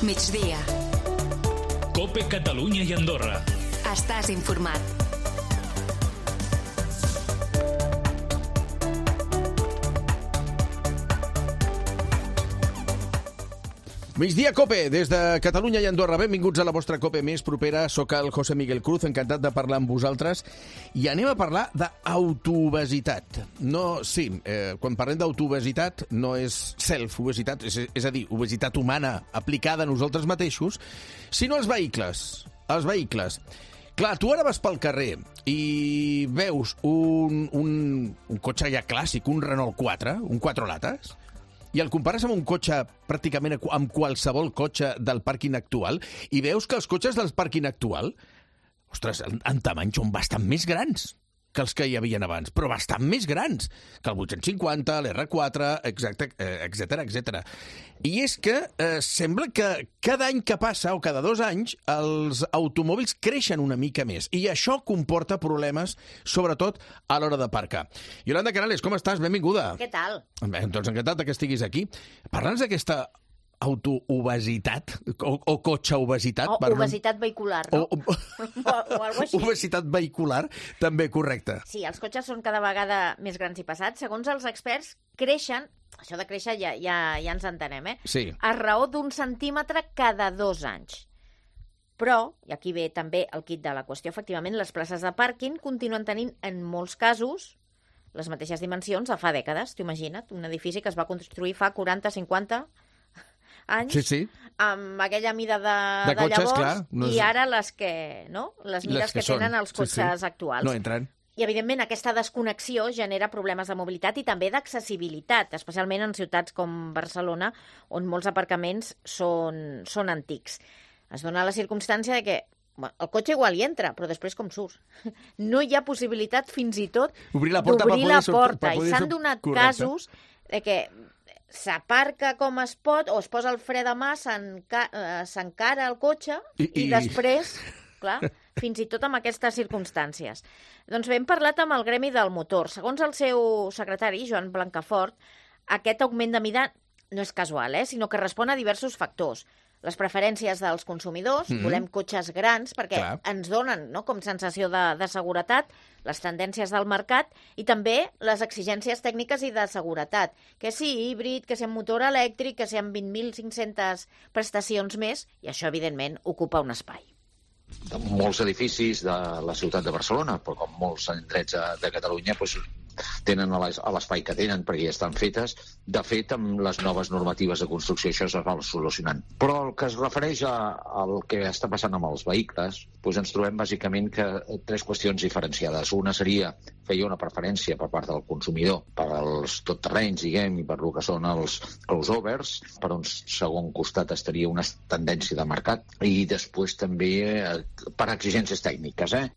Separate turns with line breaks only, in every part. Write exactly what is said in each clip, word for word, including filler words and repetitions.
Migdia.
COPE Catalunya i Andorra.
Estàs informat.
Migdia COPE, des de Catalunya i Andorra. Benvinguts a la vostra COPE més propera. Soc el José Miguel Cruz, encantat de parlar amb vosaltres. I anem a parlar d'autoobesitat. No, sí, eh, quan parlem d'autoobesitat no és self-obesitat, és, és a dir, obesitat humana aplicada a nosaltres mateixos, sinó als vehicles. Els vehicles. Clar, tu ara vas pel carrer i veus un, un, un cotxe ja clàssic, un Renault quatre, un quatre lates, i el compares amb un cotxe pràcticament amb qualsevol cotxe del pàrquing actual i veus que els cotxes del pàrquing actual, ostres, en, en tamany són bastant més grans que els que hi havien abans, però bastant més grans que el vuit-cents cinquanta, l'R quatre, exacte, etcètera, etcètera. I és que eh, sembla que cada any que passa, o cada dos anys, els automòbils creixen una mica més, i això comporta problemes, sobretot a l'hora d'aparcar. Yolanda Canales, com estàs? Benvinguda.
Què tal?
Bé, doncs encantat que estiguis aquí. Parla'ns d'aquesta autoobesitat o, o cotxe-obesitat.
O obesitat vehicular, no?
O, o,
o, o algo així.
Obesitat vehicular, també correcte.
Sí, els cotxes són cada vegada més grans i pesats. Segons els experts, creixen, això de créixer ja, ja, ja ens entenem, eh?
Sí.
A raó d'un centímetre cada dos anys. Però, i aquí ve també el quid de la qüestió, efectivament, les places de pàrquing continuen tenint, en molts casos, les mateixes dimensions de fa dècades. T'ho imagina't, un edifici que es va construir fa quaranta, cinquanta anys,
sí, sí.
amb aquella mida de,
de,
de
cotxes,
llavors,
clar, no és...
i ara les que, no? Les mides
les que,
que tenen
són.
els cotxes
sí, sí.
actuals.
No entren.
I, evidentment, aquesta desconnexió genera problemes de mobilitat i també d'accessibilitat, especialment en ciutats com Barcelona, on molts aparcaments són, són antics. Es dona la circumstància de que bueno, el cotxe igual hi entra, però després com surts? No hi ha possibilitat fins i tot
d'obrir la porta.
La porta.
I
s'han donat correcte. Casos de que s'aparca com es pot o es posa el fre de mà, s'encara el cotxe i, i... i després, clar, fins i tot amb aquestes circumstàncies. Doncs bé, hem parlat amb el gremi del motor. Segons el seu secretari, Joan Blancafort, aquest augment de mida no és casual, eh? Sinó que respon a diversos factors. Les preferències dels consumidors, mm-hmm. volem cotxes grans perquè Clar. ens donen, no?, com sensació de, de seguretat, les tendències del mercat i també les exigències tècniques i de seguretat, que si híbrid, que si amb motor elèctric, que si amb vint mil cinc-centes prestacions més, i això, evidentment, ocupa un espai.
Molts edificis de la ciutat de Barcelona, però com molts indrets de Catalunya, doncs, tenen a l'espai que tenen perquè ja estan fetes. De fet, amb les noves normatives de construcció això es va solucionant. Però el que es refereix a, al que està passant amb els vehicles, doncs ens trobem bàsicament que tres qüestions diferenciades. Una seria que hi ha una preferència per part del consumidor per als totterrenys, diguem, i per el que són els crossovers. Per un segon costat estaria una tendència de mercat i després també eh, per exigències tècniques, eh?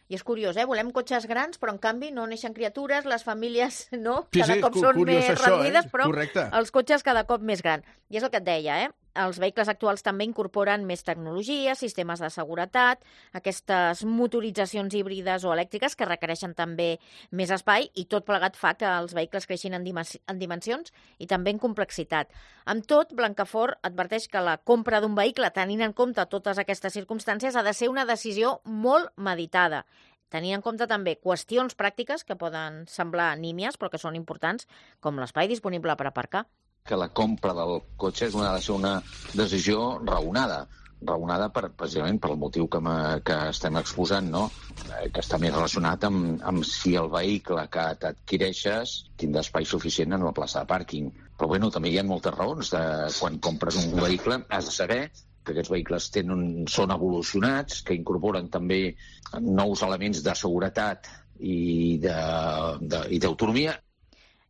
I és curiós, eh? Volem cotxes grans, però en canvi no neixen criatures, les famílies no?
Sí,
cada
sí,
cop són més
això,
reduïdes,
eh?
però
Correcte.
Els cotxes cada cop més grans. I és el que et deia, eh? Els vehicles actuals també incorporen més tecnologia, sistemes de seguretat, aquestes motoritzacions híbrides o elèctriques que requereixen també més espai i tot plegat fa que els vehicles creixin en, en dimensions i també en complexitat. Amb tot, Blancafort adverteix que la compra d'un vehicle, tenint en compte totes aquestes circumstàncies, ha de ser una decisió molt meditada, tenint en compte també qüestions pràctiques que poden semblar nímies però que són importants, com l'espai disponible per aparcar.
Que la compra del cotxe és una, ha de ser una decisió raonada, raonada per, precisament per el motiu que, que estem exposant, no? Eh, que està més relacionat amb, amb si el vehicle que t'adquireixes tindrà espai suficient en la plaça de pàrquing. Però bueno, també hi ha moltes raons. De, quan compres un vehicle has de saber que aquests vehicles tenen, són evolucionats, que incorporen també nous elements de seguretat i d'autonomia.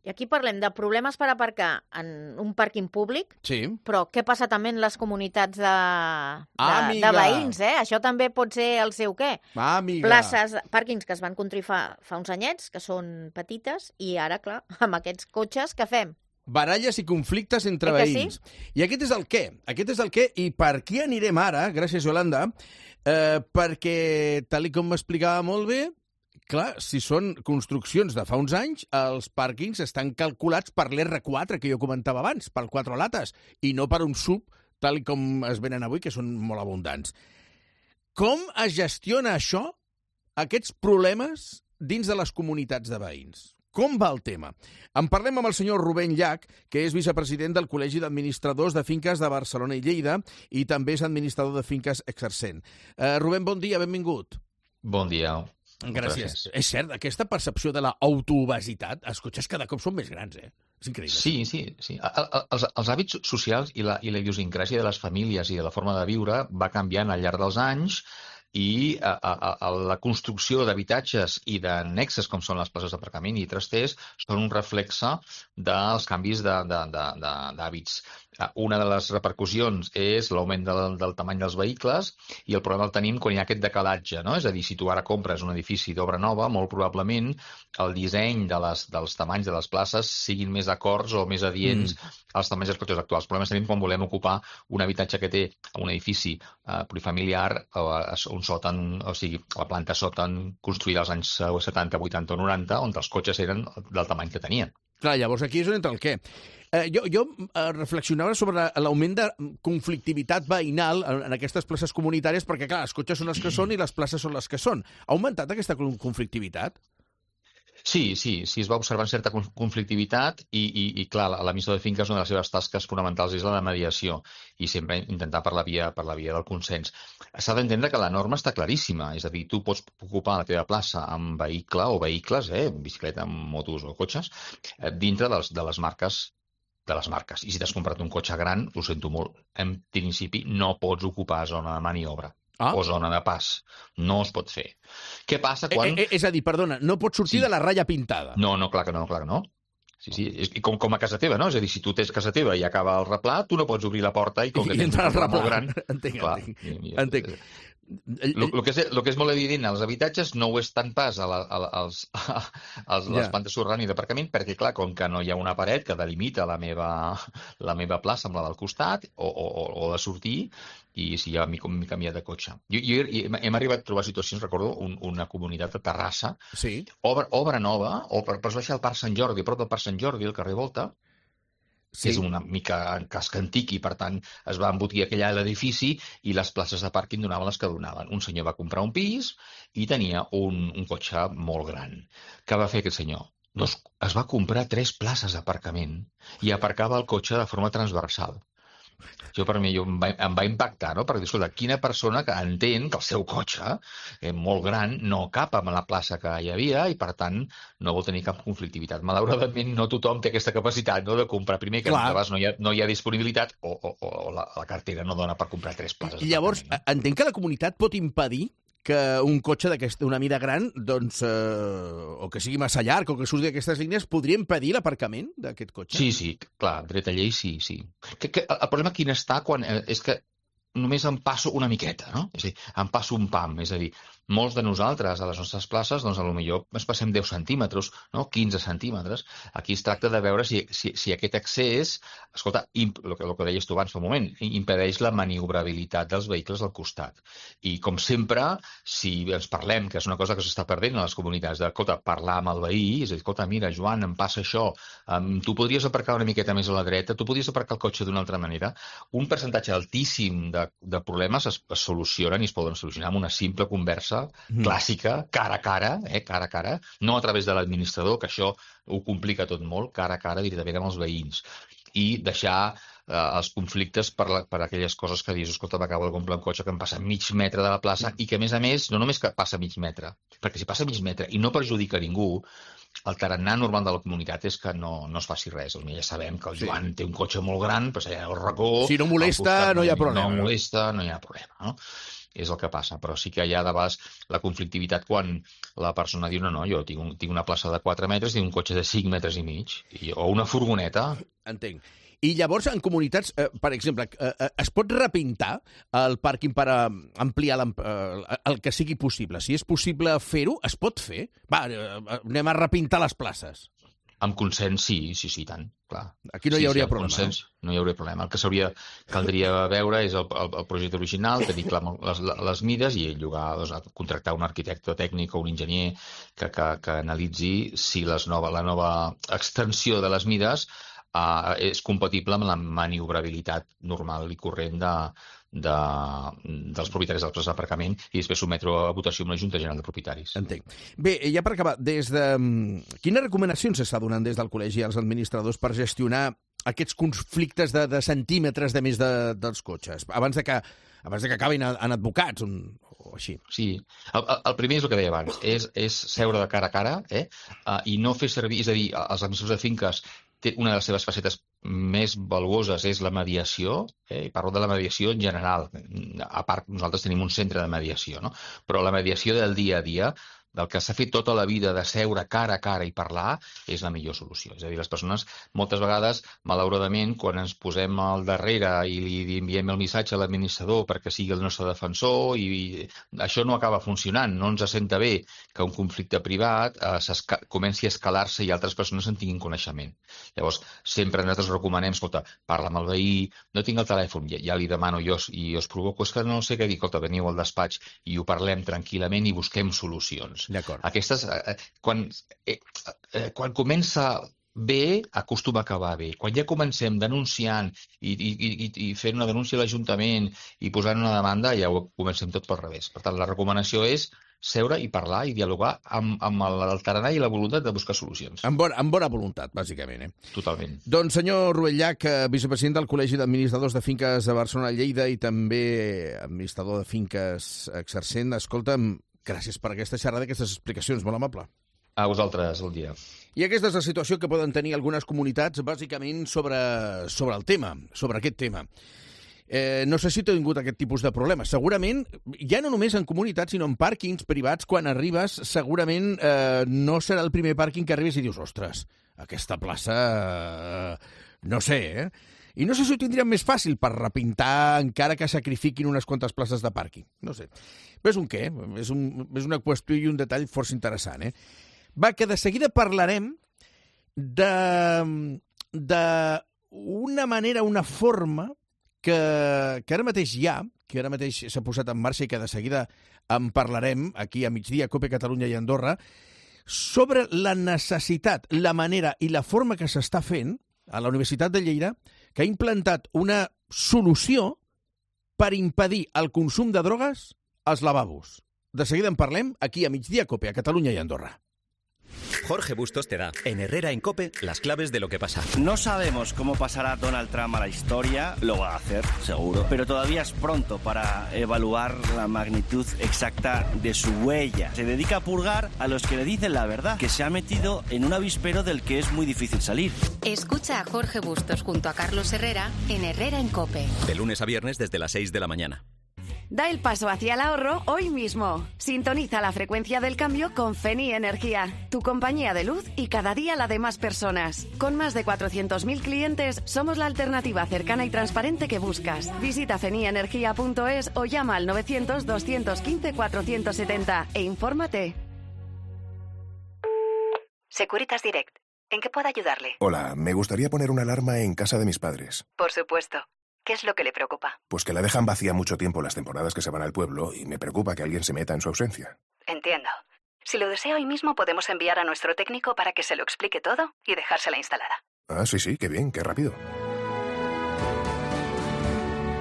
I aquí parlem de problemes per aparcar en un pàrquing públic,
sí.
Però què passa també en les comunitats de, de, de veïns, eh? Això també pot ser el seu què?
Amiga.
Places, pàrquings que es van construir fa, fa uns anyets, que són petites, i ara, clar, amb aquests cotxes, què fem?
Baralles i conflictes entre
eh
veïns.
Sí?
I aquest és el què. Aquest és el què. I per què anirem ara, gràcies, Yolanda, eh, perquè, tal com m'explicava molt bé, clar, si són construccions de fa uns anys, els pàrquings estan calculats per l'R quatre, que jo comentava abans, pel quatre lates, i no per un sub tal com es venen avui, que són molt abundants. Com es gestiona això, aquests problemes, dins de les comunitats de veïns? Com va el tema? En parlem amb el senyor Rubén Llach, que és vicepresident del Col·legi d'Administradors de Finques de Barcelona i Lleida i també és administrador de finques exercent. Uh, Rubén, bon dia, benvingut.
Bon dia.
Gràcies. Gràcies. És cert, aquesta percepció de l'autoobesitat, els cotxes cada cop són més grans, eh? És increïble.
Sí, sí, sí. Els, els hàbits socials i la, i la idiosincràsia de les famílies i de la forma de viure va canviant al llarg dels anys i a, a, a la construcció d'habitatges i d'annexes, com són les places d'aparcament i trasters, són un reflexe dels canvis d'hàbits. Una de les repercussions és l'augment del, del tamany dels vehicles i el problema el tenim quan hi ha aquest decalatge, no? És a dir, si tu ara compres un edifici d'obra nova, molt probablement el disseny de les, dels tamanys de les places siguin més acords o més adients mm. als tamanys dels cotxes actuals. El problema és tenim quan volem ocupar un habitatge que té un edifici eh, plurifamiliar eh, un sòtan, o sigui, la planta sòtan construïda als anys setanta, vuitanta o noranta, on els cotxes eren del tamany que tenien.
Clar, llavors aquí és on entra el què. Eh, jo jo eh, reflexionava sobre l'augment de conflictivitat veïnal en, en aquestes places comunitàries, perquè, clar, els cotxes són els que són i les places són les que són. Ha augmentat aquesta conflictivitat?
Sí, sí, sí, es va observar certa conflictivitat i, i, i clar, l'administrador de finques, una de les seves tasques fonamentals és la de mediació i sempre intentar per la via, per la via del consens. S'ha d'entendre que la norma està claríssima, és a dir, tu pots ocupar la teva plaça amb vehicle o vehicles, eh, bicicleta, motos o cotxes, eh, dintre dels, de les marques de les marques. I si t'has comprat un cotxe gran, ho sento molt, en principi no pots ocupar zona de maniobra. Ah. O zona de pas. No es pot fer. Què passa quan...
Eh, eh, és a dir, perdona, no pots sortir sí. de la ratlla pintada.
No, no, clar que no, clar que no. Sí, sí, és com, com a casa teva, no? És a dir, si tu tens casa teva i acaba el replà, tu no pots obrir la porta i com que
I
tens un replà molt gran...
Entenc,
clar,
entenc.
I, i,
entenc.
El, el, que és, el que és molt evident als habitatges no ho és tant pas a, la, a, als, a, a les yeah. plantes subterrànies d'aparcament, perquè, clar, com que no hi ha una paret que delimita la meva, la meva plaça amb la del costat, o, o, o de sortir, i si ja m'he canviat de cotxe. Jo, jo, hem arribat a trobar situacions, recordo, un, una comunitat de Terrassa,
sí.
obra, obra nova, o per, per baixar al Parc Sant Jordi, a prop del Parc Sant Jordi, al carrer Volta, sí. que és una mica casc antic i, per tant, es va embotir aquell edifici i les places de pàrquing donaven les que donaven. Un senyor va comprar un pis i tenia un, un cotxe molt gran. Què va fer aquest senyor? Doncs es va comprar tres places d'aparcament i aparcava el cotxe de forma transversal. Jo, per mi, jo, em, va, em va impactar, no? Perquè, escolta, quina persona que entén que el seu cotxe, eh, molt gran, no cap amb la plaça que hi havia i, per tant, no vol tenir cap conflictivitat. Malauradament, no tothom té aquesta capacitat, no?, de comprar. Primer, que abans no hi ha, no hi ha disponibilitat o, o, o la, la cartera no dona per comprar tres places.
I llavors, no? Entenc que la comunitat pot impedir que un cotxe d'una mida gran, doncs, eh, o que sigui massa llarg, o que surti d'aquestes línies, podria impedir l'aparcament d'aquest cotxe?
Sí, sí, clar, dret a llei sí, sí. Que, que, el problema quin està quan, eh, és que només em passo una miqueta, no? És a dir, em passo un pam, és a dir, molts de nosaltres a les nostres places, doncs, potser ens passem deu centímetres, no? quinze centímetres. Aquí es tracta de veure si, si, si aquest accés, escolta, imp, el, que, el que deies tu abans fa un moment, impedeix la maniobrabilitat dels vehicles al costat. I, com sempre, si ens parlem, que és una cosa que s'està perdent a les comunitats, de, escolta, parlar amb el veí, és a dir, escolta, mira, Joan, em passa això, um, tu podries aparcar una miqueta més a la dreta, tu podries aparcar el cotxe d'una altra manera. Un percentatge altíssim de, de problemes es, es solucionen i es poden solucionar amb una simple conversa Mm. clàssica, cara a cara, eh, cara a cara, no a través de l'administrador, que això ho complica tot molt, cara a cara directament amb els veïns, i deixar eh, els conflictes per, la, per aquelles coses que dius, escolta, m'acabo de comprar un cotxe que em passa mig metre de la plaça i que, a més a més, no només que passa mig metre, perquè si passa mig metre i no perjudica ningú, el tarannà normal de la comunitat és que no, no es faci res. Ja sabem que el Joan sí. té un cotxe molt gran, però allà al racó...
Si no molesta, no hi ha problema.
No molesta, no hi ha problema, no? És el que passa, però sí que hi ha de vegades la conflictivitat quan la persona diu no, no, jo tinc, un, tinc una plaça de quatre metres i un cotxe de cinc metres i mig, i, o una furgoneta.
Entenc. I llavors, en comunitats, eh, per exemple, eh, es pot repintar el pàrquing per eh, ampliar eh, el que sigui possible? Si és possible fer-ho, es pot fer? Va, eh, anem a repintar les places.
Amb consens, sí, sí, sí, tant, clar.
Aquí no hi
sí,
hauria
sí,
problema.
Consens, no hi hauria problema. El que s'hauria, caldria veure és el, el, el projecte original, tenir clar les, les mides i llogar, doncs, contractar un arquitecte tècnic o un enginyer que, que, que analitzi si les nova, la nova extensió de les mides uh, és compatible amb la maniobrabilitat normal i corrent de, de, dels propietaris dels places d'aparcament i després sotmetre a votació amb la Junta General de Propietaris.
Entenc. Bé, ja per acabar, des de... quines recomanacions s'està donant des del col·legi als administradors per gestionar aquests conflictes de, de centímetres de més de, dels cotxes, abans de que, abans de que acabin en advocats un, o així?
Sí, el, el primer és el que deia abans, és, és seure de cara a cara eh? uh, i no fer servir, és a dir, els administradors de finques té una de les seves facetes més valuoses és la mediació, eh? I parlo de la mediació en general, a part nosaltres tenim un centre de mediació, no? Però la mediació del dia a dia, del que s'ha fet tota la vida de seure cara a cara i parlar, és la millor solució. És a dir, les persones, moltes vegades, malauradament, quan ens posem al darrere i li enviem el missatge a l'administrador perquè sigui el nostre defensor, i, i això no acaba funcionant. No ens senta bé que un conflicte privat eh, comenci a escalar-se i altres persones en tinguin coneixement. Llavors, sempre nosaltres recomanem, escolta, parla amb el veí, no tinc el telèfon, ja, ja li demano jo i us provoco, és que no sé què dir, escolta, veniu al despatx i ho parlem tranquil·lament i busquem solucions. Aquestes, eh, quan, eh, eh, quan comença bé, acostuma a acabar bé. Quan ja comencem denunciant i, i, i, i fent una denúncia a l'Ajuntament i posant una demanda, ja ho comencem tot pel revés. Per tant, la recomanació és seure i parlar i dialogar amb, amb el tarannà i la voluntat de buscar solucions.
Amb bona, amb bona voluntat, bàsicament. Eh?
Totalment.
Doncs, senyor Ruellach, vicepresident del Col·legi d'Administradors de Finques de Barcelona-Lleida i també administrador de finques exercent, escolta'm, gràcies per aquesta xerrada, aquestes explicacions, molt amable.
A vosaltres, el dia.
I aquesta és la situació que poden tenir algunes comunitats, bàsicament sobre, sobre el tema, sobre aquest tema. Eh, no sé si t'he tingut aquest tipus de problemes. Segurament, ja no només en comunitats, sinó en pàrquings privats, quan arribes, segurament eh, no serà el primer pàrquing que arribes i dius, ostres, aquesta plaça... Eh, no sé, eh? I no sé si ho tindrien més fàcil per repintar encara que sacrifiquin unes quantes places de pàrquing. No sé. Però és un què? És, un, és una qüestió i un detall força interessant, eh? Va, que de seguida parlarem de, de una manera, una forma que, que ara mateix hi ha, que ara mateix s'ha posat en marxa i que de seguida en parlarem aquí a migdia, Cope Catalunya i Andorra, sobre la necessitat, la manera i la forma que s'està fent a la Universitat de Lleida, que ha implantat una solució per impedir el consum de drogues als lavabos. De seguida en parlem aquí a migdia Cope, a Catalunya i Andorra.
Jorge Bustos te da, en Herrera en Cope, las claves de lo que pasa.
No sabemos cómo pasará Donald Trump a la historia, lo va a hacer, seguro, pero todavía es pronto para evaluar la magnitud exacta de su huella. Se dedica a purgar a los que le dicen la verdad, que se ha metido en un avispero del que es muy difícil salir.
Escucha a Jorge Bustos junto a Carlos Herrera en Herrera en Cope.
De lunes a viernes desde las seis de la mañana.
Da el paso hacia el ahorro hoy mismo. Sintoniza la frecuencia del cambio con Feni Energía, tu compañía de luz y cada día la de más personas. Con más de cuatrocientos mil clientes, somos la alternativa cercana y transparente que buscas. Visita feni energía punto es o llama al novecientos, doscientos quince, cuatrocientos setenta e infórmate.
Securitas Direct. ¿En qué puedo ayudarle?
Hola, me gustaría poner una alarma en casa de mis padres.
Por supuesto. ¿Qué es lo que le preocupa?
Pues que la dejan vacía mucho tiempo las temporadas que se van al pueblo y me preocupa que alguien se meta en su ausencia.
Entiendo. Si lo desea hoy mismo podemos enviar a nuestro técnico para que se lo explique todo y dejársela instalada.
Ah, sí, sí, qué bien, qué rápido.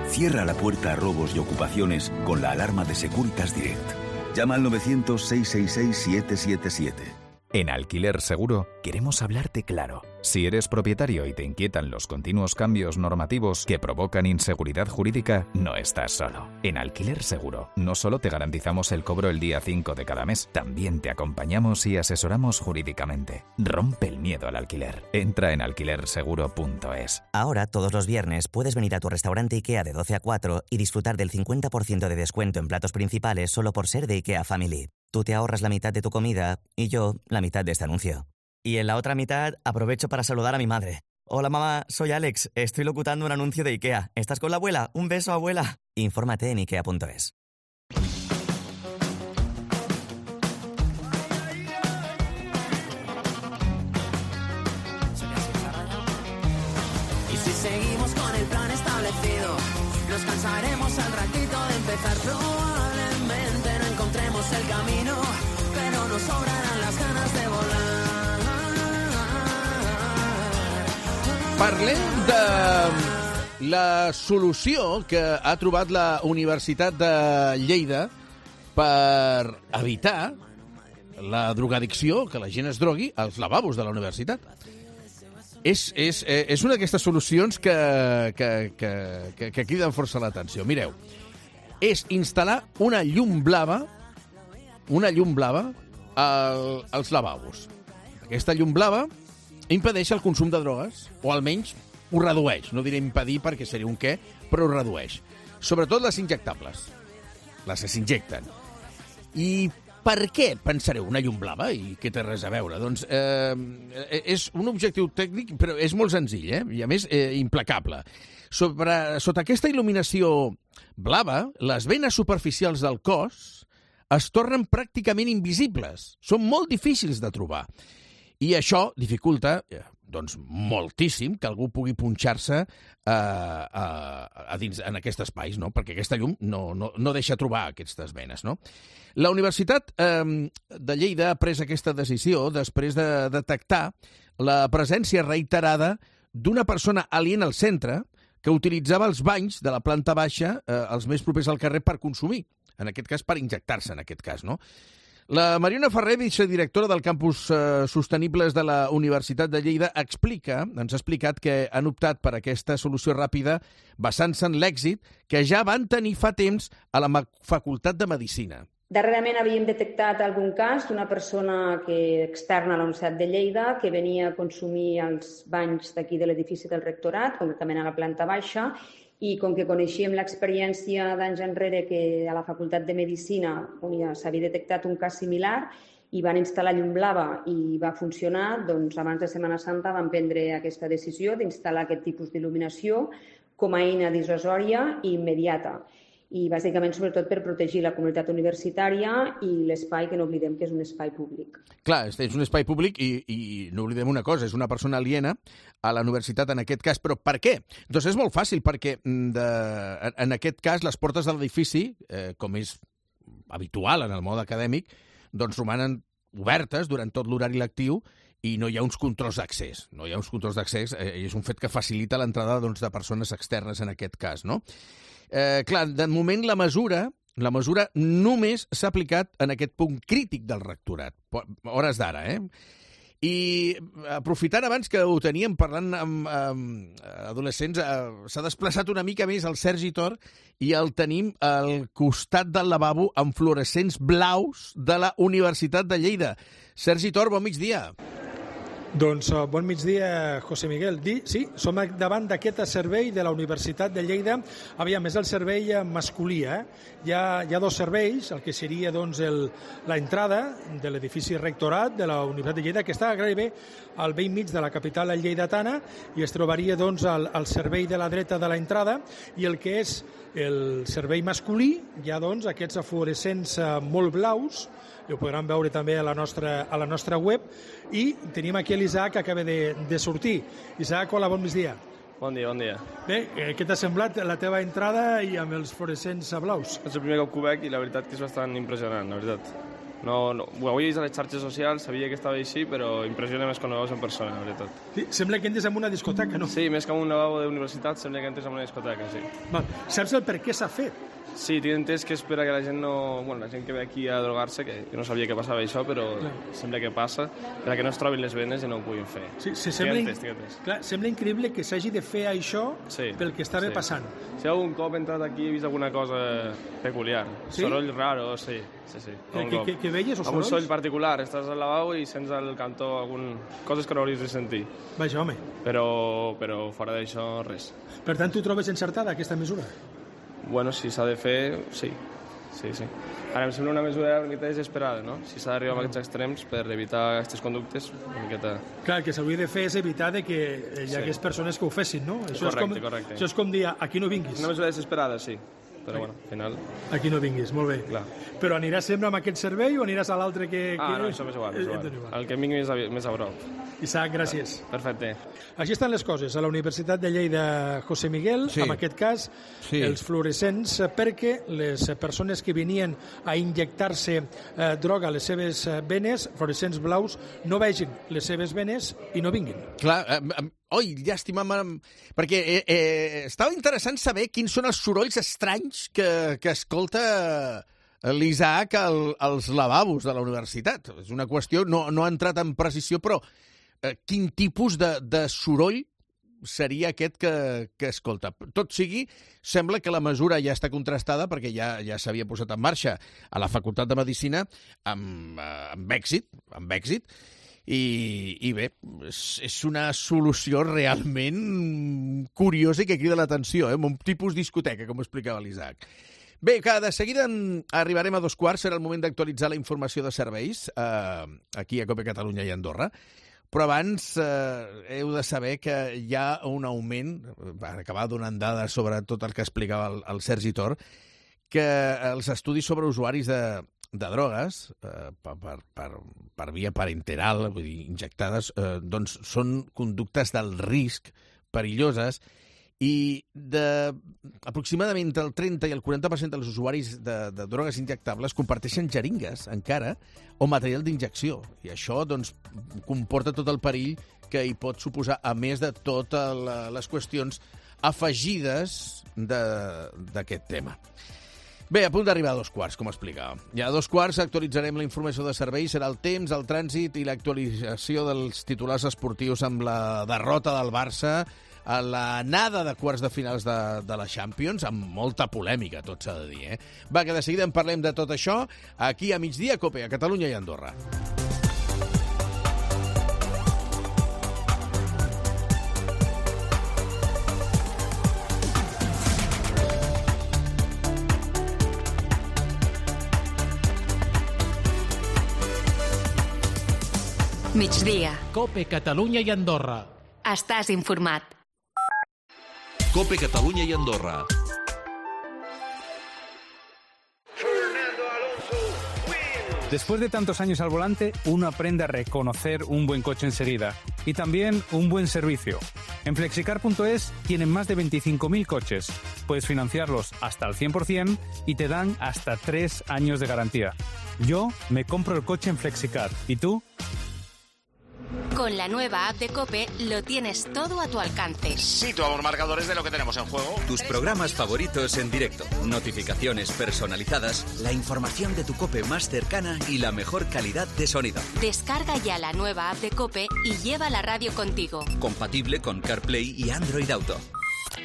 Cierra la puerta a robos y ocupaciones con la alarma de Securitas Direct. Llama al novecientos, seiscientos sesenta y seis, siete siete siete.
En Alquiler Seguro queremos hablarte claro. Si eres propietario y te inquietan los continuos cambios normativos que provocan inseguridad jurídica, no estás solo. En Alquiler Seguro no solo te garantizamos el cobro el día cinco de cada mes, también te acompañamos y asesoramos jurídicamente. Rompe el miedo al alquiler. Entra en alquiler seguro punto es.
Ahora, todos los viernes, puedes venir a tu restaurante IKEA de doce a cuatro y disfrutar del cincuenta por ciento de descuento en platos principales solo por ser de IKEA Family. Tú te ahorras la mitad de tu comida y yo la mitad de este anuncio. Y en la otra mitad aprovecho para saludar a mi madre. Hola mamá, soy Alex, estoy locutando un anuncio de IKEA. ¿Estás con la abuela? Un beso, abuela. Infórmate en ikea punto es.
Y si seguimos con el plan establecido, nos cansaremos al ratito de empezar. Probablemente no encontremos el camino, pero nos sobrarán las ganas de volar.
Parlem de la solució que ha trobat la Universitat de Lleida per evitar la drogadicció, que la gent es drogui, als lavabos de la universitat. És, és, és una d'aquestes solucions que, que, que, que, que criden força l'atenció. Mireu, és instal·lar una llum blava, una llum blava al, als lavabos. Aquesta llum blava impedeix el consum de drogues, o almenys ho redueix. No diré impedir perquè seria un què, però ho redueix. Sobretot les injectables, les que s'injecten. I per què, pensareu, una llum blava? I què té res a veure? Doncs eh, és un objectiu tècnic, però és molt senzill, eh? I a més eh, implacable. Sobre, sota aquesta il·luminació blava, les venes superficials del cos es tornen pràcticament invisibles. Són molt difícils de trobar. I això dificulta, doncs, moltíssim que algú pugui punxar-se eh, a, a dins, en aquests espais, no? Perquè aquesta llum no, no, no deixa trobar aquestes venes, no? La Universitat eh, de Lleida ha pres aquesta decisió després de detectar la presència reiterada d'una persona aliena al centre que utilitzava els banys de la planta baixa, eh, els més propers al carrer, per consumir. En aquest cas, per injectar-se, en aquest cas, no? La Mariona Ferrer, vicedirectora del Campus eh, Sostenibles de la Universitat de Lleida, explica, ens ha explicat que han optat per aquesta solució ràpida basant-se en l'èxit que ja van tenir fa temps a la Facultat de Medicina.
Darrerament havíem detectat algun cas d'una persona que externa a la Universitat de Lleida que venia a consumir els banys d'aquí de l'edifici del rectorat, concretament a la planta baixa, i com que coneixíem l'experiència d'anys enrere que a la Facultat de Medicina ja s'havia detectat un cas similar i van instal·lar llum blava i va funcionar, doncs abans de Setmana Santa van prendre aquesta decisió d'instal·lar aquest tipus d'il·luminació com a eina dissuasòria i immediata. I bàsicament, sobretot, per protegir la comunitat universitària i l'espai, que no oblidem que és un espai públic.
Clar, és un espai públic i, i no oblidem una cosa, és una persona aliena a la universitat en aquest cas. Però per què? Doncs és molt fàcil, perquè de, en aquest cas les portes de l'edifici, eh, com és habitual en el mode acadèmic, doncs romanen obertes durant tot l'horari lectiu i no hi ha uns controls d'accés. No hi ha uns controls d'accés eh, i és un fet que facilita l'entrada doncs, de persones externes en aquest cas, no? Eh, clar, de moment la mesura, la mesura només s'ha aplicat en aquest punt crític del rectorat, hores d'ara, eh? I aprofitant abans que ho teníem parlant amb, amb adolescents, eh, s'ha desplaçat una mica més el Sergi Tor i el tenim al costat del lavabo amb fluorescents blaus de la Universitat de Lleida. Sergi Tor, bon migdia.
Doncs uh, bon migdia, José Miguel. Di, sí, som davant d'aquest servei de la Universitat de Lleida. Aviam, és el servei masculí. Eh? Hi, ha, hi ha dos serveis, el que seria doncs, el, la entrada de l'edifici rectorat de la Universitat de Lleida, que està gairebé al vell mig de la capital lleidatana, i es trobaria doncs, al, al servei de la dreta de l'entrada, i el que és el servei masculí, hi ha doncs, aquests fluorescents uh, molt blaus, i ho podran veure també a la nostra, a la nostra web, i tenim aquí l'Isaac que acaba de, de sortir. Isaac, hola, bon migdia.
Bon dia, bon dia.
Bé, eh, què t'ha semblat la teva entrada i amb els fluorescents blaus?
És el primer cop que ho veig i la veritat que és bastant impressionant, la veritat. No, no, ho havia vist a les xarxes socials, sabia que estava així, però impressiona més quan ho veus en persona, la veritat.
Sí, sembla que entres en una discoteca, no?
Sí, més que en un lavabo d'universitat, sembla que entres en una discoteca, sí.
Val. Saps el per què s'ha fet?
Sí, tinc entès que és per a que la gent no... Bueno, la gent que ve aquí a drogar-se, que, que no sabia que passava això, però clar, sembla que passa, per a que no es trobin les venes i no ho puguin fer.
Sí, sí, sembla, entès, entès. Clar, sembla increïble que s'hagi de fer això sí, pel que estava sí. passant.
Si algun cop he entrat aquí he vist alguna cosa peculiar. Sí? Soroll raro, sí. sí, sí.
Eh, que, que, que veies o sorolls?
Un soroll particular. Estàs al lavabo i sents al cantó algun... coses que no hauries de sentir.
Vaja, home.
Però, però fora d'això, res.
Per tant, tu trobes encertada aquesta mesura?
Bueno, si s'ha de fer, sí. Sí, sí. Ara em sembla una mesura una miqueta desesperada, no? Si s'ha d'arribar a aquests extrems per evitar aquestes conductes, una miqueta...
Clar, el que s'hauria de fer és evitar de que hi hagués sí. persones que ho fessin, no? Això
correcte,
és com,
correcte.
Això és com dir, aquí no vinguis.
Una mesura desesperada, sí. Però, bueno, al final...
Aquí no vinguis, molt bé.
Clar.
Però aniràs sempre amb aquest servei o aniràs a l'altre que...
Ah,
que...
no, això m'és igual, és igual. igual. El que em vingui més a, més a prop.
Isaac, gràcies.
Ah, perfecte.
Així estan les coses. A la Universitat de Lleida, José Miguel, sí. en aquest cas, sí. els fluorescents, perquè les persones que venien a injectar-se eh, droga a les seves venes, fluorescents blaus, no vegin les seves venes i no vinguin.
Clar, eh, Oi, llàstima, perquè eh, eh, estava interessant saber quins són els sorolls estranys que, que escolta l'Isaac al, als lavabos de la universitat. És una qüestió, no, no ha entrat en precisió, però eh, quin tipus de, de soroll seria aquest que, que escolta. Tot sigui, sembla que la mesura ja està contrastada perquè ja, ja s'havia posat en marxa a la Facultat de Medicina amb, amb èxit, amb èxit, I, i bé, és, és una solució realment curiosa i que crida l'atenció, eh? Un tipus discoteca, com explicava l'Isaac. Bé, que de seguida arribarem a dos quarts, serà el moment d'actualitzar la informació de serveis eh, aquí a Cope Catalunya i Andorra, però abans eh, heu de saber que hi ha un augment, va acabar donant dades sobre tot el que explicava el, el Sergi Tor, que els estudis sobre usuaris de, de drogues eh, per, per, per via parenteral, vull dir, injectades, eh, doncs són conductes del risc perilloses i de aproximadament el trenta i el quaranta per cent dels usuaris de, de drogues injectables comparteixen jeringues encara o material d'injecció. I això doncs, comporta tot el perill que hi pot suposar, a més de totes les qüestions afegides d'aquest tema. Bé, a punt d'arribar a dos quarts, com explicava. Ja a dos quarts actualitzarem la informació de serveis, serà el temps, el trànsit i l'actualització dels titulars esportius amb la derrota del Barça a l'anada de quarts de finals de, de la Champions, amb molta polèmica, tot s'ha de dir, eh? Va, que de seguida en parlem de tot això, aquí a migdia, Cope, a Catalunya i Andorra.
Migdia.
Cope Catalunya i Andorra.
Estàs informat.
Cope Catalunya y Andorra.
Después de tantos años al volante, uno aprende a reconocer un buen coche enseguida y también un buen servicio. En flexicar punto es tienen más de veinticinco mil coches. Puedes financiarlos hasta el cien por ciento y te dan hasta tres años de garantía. Yo me compro el coche en Flexicar. ¿Y tú?
Con la nueva app de COPE lo tienes todo a tu alcance.
Sitúa los marcadores de lo que tenemos en juego.
Tus programas favoritos en directo, notificaciones personalizadas, la información de tu COPE más cercana y la mejor calidad de sonido.
Descarga ya la nueva app de COPE y lleva la radio contigo.
Compatible con CarPlay y Android Auto.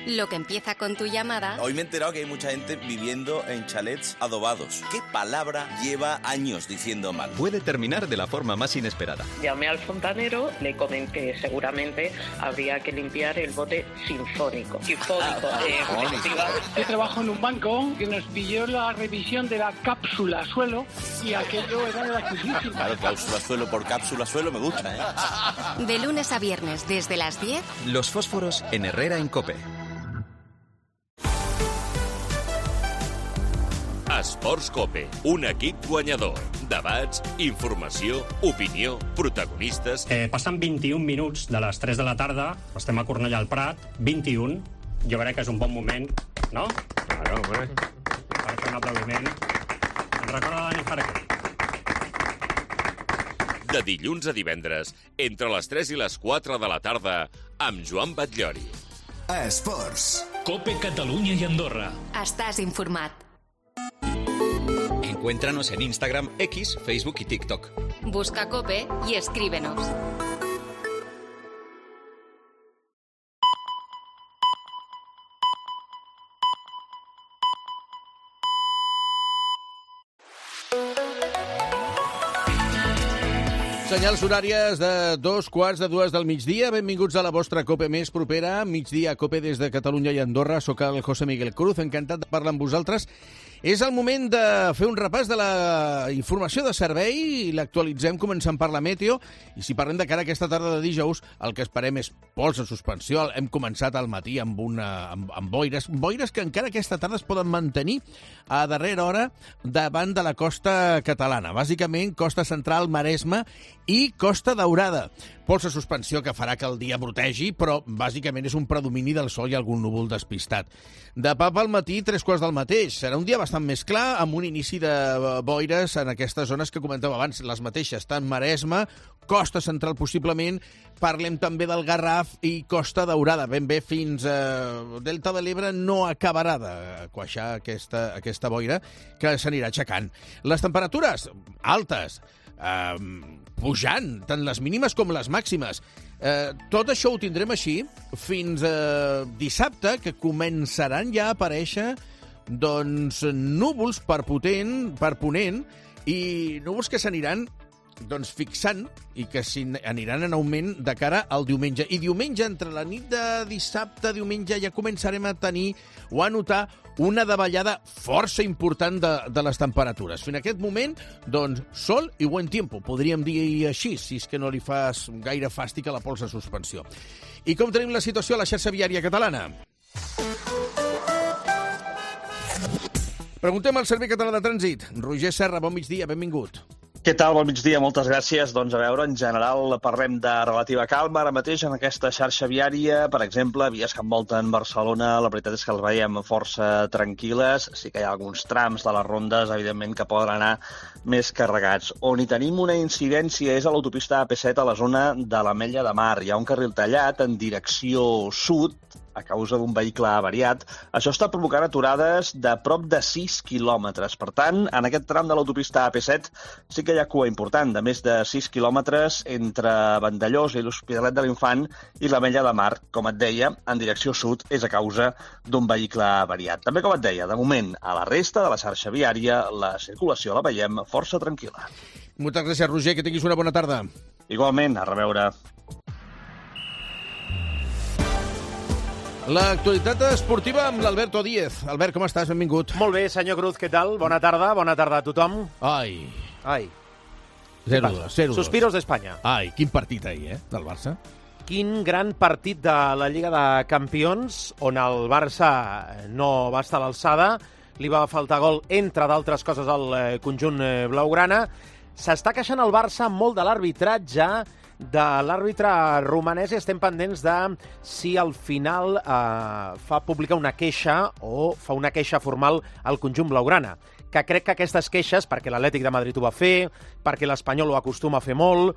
Lo que empieza con tu llamada...
Hoy me he enterado que hay mucha gente viviendo en chalets adobados. ¿Qué palabra lleva años diciendo mal?
Puede terminar de la forma más inesperada.
Llamé al fontanero, le comenté que seguramente habría que limpiar el bote sinfónico. Sinfónico. eh,
Yo trabajo en un banco que nos pidió la revisión de la cápsula suelo y aquello era gratuísimo.
Claro, cápsula suelo por cápsula suelo me gusta, ¿eh?
De lunes a viernes, desde las diez...
Los fósforos en Herrera en COPE.
Esports Cope, un equip guanyador. Debats, informació, opinió, protagonistes...
Eh, passen vint-i-un minuts de les tres de la tarda, estem a Cornellà al Prat, vint-i-un, jo crec que és un bon moment, no? Claro, hombre. Per fer un aplaudiment. Ens recorda Dani Farquer.
De dilluns a divendres, entre les tres i les quatre de la tarda, amb Joan Batllori.
Esports. Cope Catalunya i Andorra.
Estàs informat.
Encuéntranos en Instagram, X, Facebook y TikTok.
Busca COPE y escríbenos.
Senyals horàries de dos quarts de dues del migdia. Benvinguts a la vostra COPE més propera. Migdia COPE des de Catalunya i Andorra. Soc el José Miguel Cruz, encantat de parlar amb vosaltres. És el moment de fer un repàs de la informació de servei i l'actualitzem començant per la meteo. I si parlem de cara a aquesta tarda de dijous, el que esperem és pols en suspensió. Hem començat al matí amb, una, amb, amb boires, boires que encara aquesta tarda es poden mantenir a darrera hora davant de la costa catalana. Bàsicament, costa central, Maresme i Costa Daurada. Pols en suspensió que farà que el dia brotegi, però bàsicament és un predomini del sol i algun núvol despistat. De papa al matí, tres quarts del mateix. Serà un dia bastant bastant més clar, amb un inici de boires en aquestes zones que comentàvem abans, les mateixes, tant Maresme, Costa Central possiblement, parlem també del Garraf i Costa Daurada, ben bé fins a Delta de l'Ebre no acabarà de queixar aquesta, aquesta boira que s'anirà aixecant. Les temperatures altes, eh, pujant, tant les mínimes com les màximes. Eh, tot això ho tindrem així fins a dissabte, que començaran ja a aparèixer doncs, núvols per potent, per ponent, i núvols que s'aniran doncs, fixant i que aniran en augment de cara al diumenge. I diumenge, entre la nit de dissabte, diumenge, ja començarem a tenir o a notar una davallada força important de, de les temperatures. Fins a aquest moment, doncs, sol i buen tiempo, podríem dir així, si és que no li fas gaire fàstic a la pols de suspensió. I com tenim la situació a la xarxa viària catalana? Preguntem al Servei Català de Trànsit. Roger Serra, bon migdia, benvingut.
Què tal? Bon migdia, moltes gràcies. Doncs a veure, en general parlem de relativa calma. Ara mateix en aquesta xarxa viària, per exemple, vies que envolten Barcelona, la veritat és que els veiem força tranquil·les. Sí que hi ha alguns trams de les rondes, evidentment, que poden anar més carregats. On hi tenim una incidència és a l'autopista A P set a la zona de l'Ametlla de Mar. Hi ha un carril tallat en direcció sud, a causa d'un vehicle avariat. Això està provocant aturades de prop de sis quilòmetres. Per tant, en aquest tram de l'autopista A P set sí que hi ha cua important, de més de sis quilòmetres entre Vandellòs i l'Hospitalet de l'Infant i l'Ametlla de Mar. Com et deia, en direcció sud és a causa d'un vehicle avariat. També, com et deia, de moment, a la resta de la xarxa viària, la circulació la veiem força tranquil·la.
Moltes gràcies, Roger, que tinguis una bona tarda.
Igualment, a reveure.
L'actualitat esportiva amb l'Alberto Díez. Albert, com estàs? Benvingut.
Molt bé, senyor Cruz, què tal? Bona tarda, bona tarda a tothom.
Ai.
Ai.
zero dos, zero dos.
Suspiros d'Espanya.
Ai, quin partit ahir, eh, del Barça.
Quin gran partit de la Lliga de Campions, on el Barça no va estar a l'alçada, li va faltar gol, entre d'altres coses, al conjunt blaugrana. S'està queixant el Barça molt de l'arbitratge, de l'àrbitre romanès, i estem pendents de si al final eh, fa pública una queixa o fa una queixa formal al conjunt blaugrana, que crec que aquestes queixes, perquè l'Atlètic de Madrid ho va fer, perquè l'Espanyol ho acostuma a fer molt,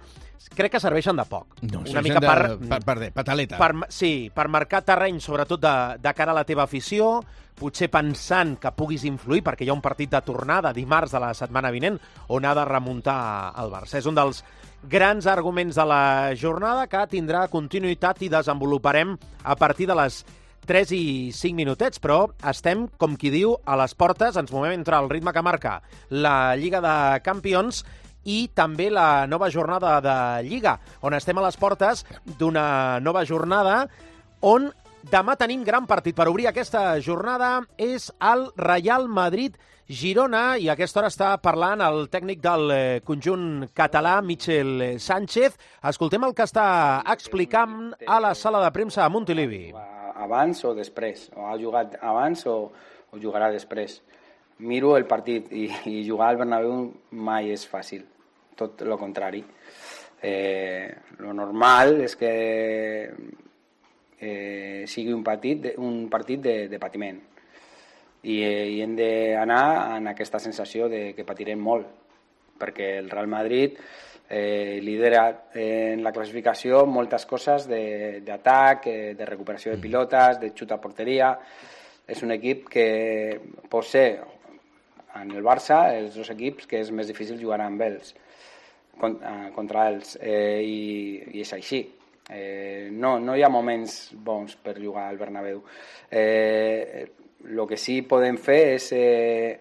crec que serveixen de poc.
No, una mica de, per, per, per, per pataleta.
Per, sí, per marcar terreny, sobretot de, de cara a la teva afició, potser pensant que puguis influir, perquè hi ha un partit de tornada dimarts de la setmana vinent on ha de remuntar el Barça. És un dels grans arguments de la jornada que tindrà continuïtat i desenvoluparem a partir de les tres i cinc minutets, però estem, com qui diu, a les portes, ens movem entre el ritme que marca la Lliga de Campions i també la nova jornada de Lliga, on estem a les portes d'una nova jornada on demà tenim gran partit. Per obrir aquesta jornada és el Real Madrid-Girona, i a aquesta hora està parlant el tècnic del conjunt català, Michel Sánchez. Escoltem el que està explicant a la sala de premsa a Montilivi.
Abans o després, o ha jugat abans o, o jugarà després. Miro el partit i, i jugar al Bernabéu mai és fàcil, tot el contrari. Eh, lo normal és que eh, sigui un partit, un partit de, de patiment i, eh, i hem d'anar en aquesta sensació de que patirem molt, perquè el Real Madrid eh, lidera en la classificació moltes coses d'atac, eh, de recuperació de pilotes, de xut a porteria. És un equip que pot ser, en el Barça, els dos equips que és més difícil jugar amb ells, contra ells, eh, i, i és així. Eh, no, no hi ha moments bons per jugar al Bernabéu. Eh, el que sí podem fer és eh,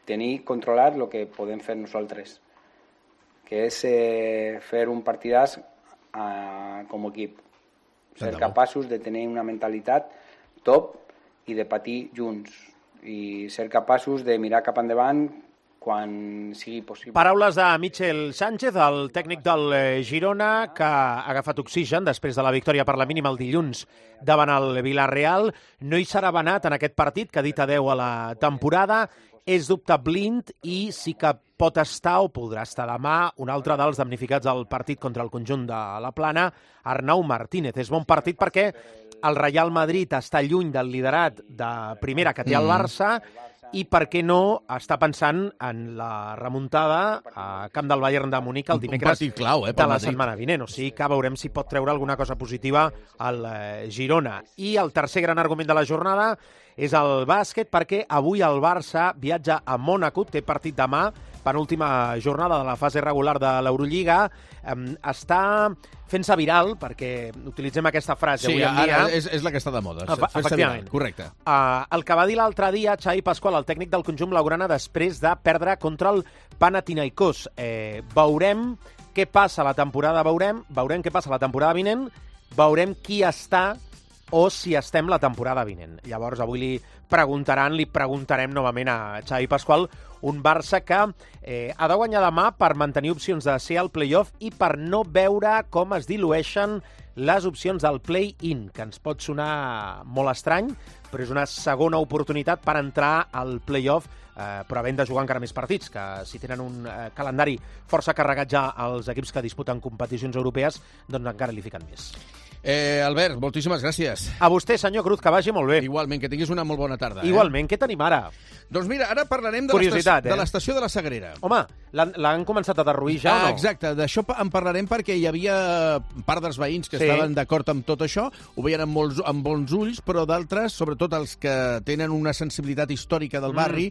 tenir controlat el que podem fer nosaltres, que és eh, fer un partidàs eh, com a equip, ser capaços de tenir una mentalitat top i de patir junts, i ser capaços de mirar cap endavant quan sigui possible.
Paraules de Michel Sánchez, el tècnic del Girona, que ha agafat oxigen després de la victòria per la mínima el dilluns davant el Villarreal. No hi serà Benat en aquest partit, que ha dit adeu a la temporada. És dubte blind i sí que pot estar o podrà estar demà un altre dels damnificats del partit contra el conjunt de la Plana, Arnau Martínez. És bon partit perquè el Real Madrid està lluny del liderat de primera que té el Barça i per què no està pensant en la remuntada a Camp del Bayern de Munic el dimecres
clau, eh,
de la setmana vinent. O sigui que veurem si pot treure alguna cosa positiva al eh, Girona. I el tercer gran argument de la jornada és el bàsquet, perquè avui el Barça viatja a Mònaco, té partit demà, penúltima jornada de la fase regular de l'Eurolliga. Um, està fent-se viral, perquè utilitzem aquesta frase
sí,
avui en dia.
Sí, és, és la que està de moda.
Efectivament.
Viral, correcte.
Uh, el que va dir l'altre dia Xavi Pasqual, el tècnic del conjunt blaugrana, després de perdre contra el Panathinaikos. Eh, veurem què passa la temporada, veurem, veurem què passa la temporada vinent, veurem qui està o si estem la temporada vinent. Llavors, avui li preguntaran, li preguntarem novament a Xavi Pasqual, un Barça que eh, ha de guanyar demà per mantenir opcions de ser al play-off i per no veure com es dilueixen les opcions del play-in, que ens pot sonar molt estrany, però és una segona oportunitat per entrar al play-off, eh, però havent de jugar encara més partits, que si tenen un eh, calendari força carregat ja als equips que disputen competicions europees, doncs encara li fiquen més.
Eh, Albert, moltíssimes gràcies.
A vostè, senyor Cruz, que vagi molt bé.
Igualment, que tinguis una molt bona tarda.
Igualment,
eh?
què tenim ara?
Doncs mira, ara parlarem de l'estació eh? de la Sagrera.
Home, l'han començat a derruir ja
ah,
o no?
Exacte, d'això en parlarem perquè hi havia part dels veïns que sí. estaven d'acord amb tot això, ho veien amb, molts, amb bons ulls, però d'altres, sobretot els que tenen una sensibilitat històrica del barri,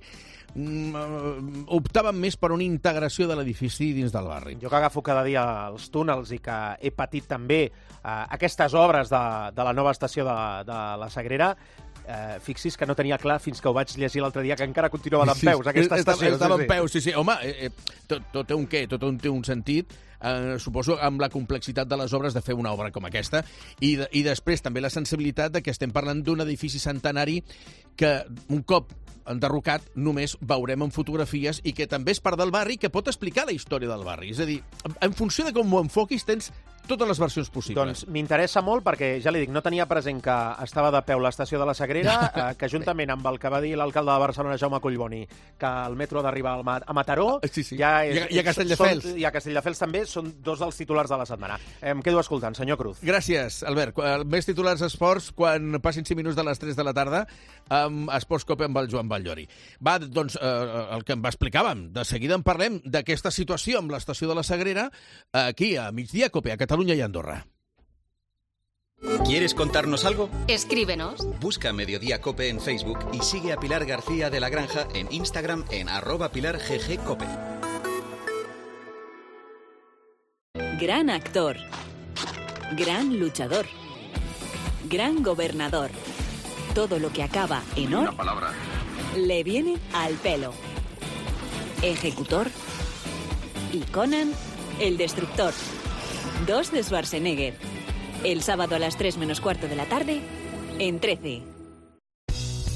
mm. optaven més per una integració de l'edifici dins del barri.
Jo que agafo cada dia els túnels i que he patit també eh, aquestes obres de, de la nova estació de, de la Sagrera, eh, fixis que no tenia clar fins que ho vaig llegir l'altre dia que encara continuava d'en peus, sí, aquesta estació.
Estava
sí,
en peus, sí, sí. Home, eh, tot, tot té un què, tot té un sentit, eh, suposo amb la complexitat de les obres de fer una obra com aquesta, i, de, i després també la sensibilitat de que estem parlant d'un edifici centenari que un cop enderrocat només veurem en fotografies i que també és part del barri, que pot explicar la història del barri. És a dir, en funció de com ho enfoquis, tens totes les versions possibles.
Doncs m'interessa molt perquè, ja li dic, no tenia present que estava de peu l'estació de la Sagrera, eh, que juntament amb el que va dir l'alcalde de Barcelona, Jaume Collboni, que el metro ha d'arribar a Mataró,
sí, sí.
Ja és,
I a Castelldefels.
Són, I a Castelldefels també, són dos dels titulars de la setmana. Em quedo escoltant, senyor Cruz.
Gràcies, Albert. Més titulars esports quan passin cinc minuts de les tres de la tarda amb Esports Cope amb el Joan Batllori. Va, doncs, eh, el que explicàvem, de seguida en parlem d'aquesta situació amb l'estació de la Sagrera, aquí a Migdia Cope, a Catalunya y Andorra.
¿Quieres contarnos algo?
Escríbenos.
Busca Mediodía Cope en Facebook y sigue a Pilar García de la Granja en Instagram en arroba Pilar G G Cope.
Gran actor. Gran luchador. Gran gobernador. Todo lo que acaba en or
Una palabra.
le viene al pelo. Ejecutor. Y Conan, el destructor. Dos de Schwarzenegger. El sábado a las tres menos cuarto de la tarde, en trece.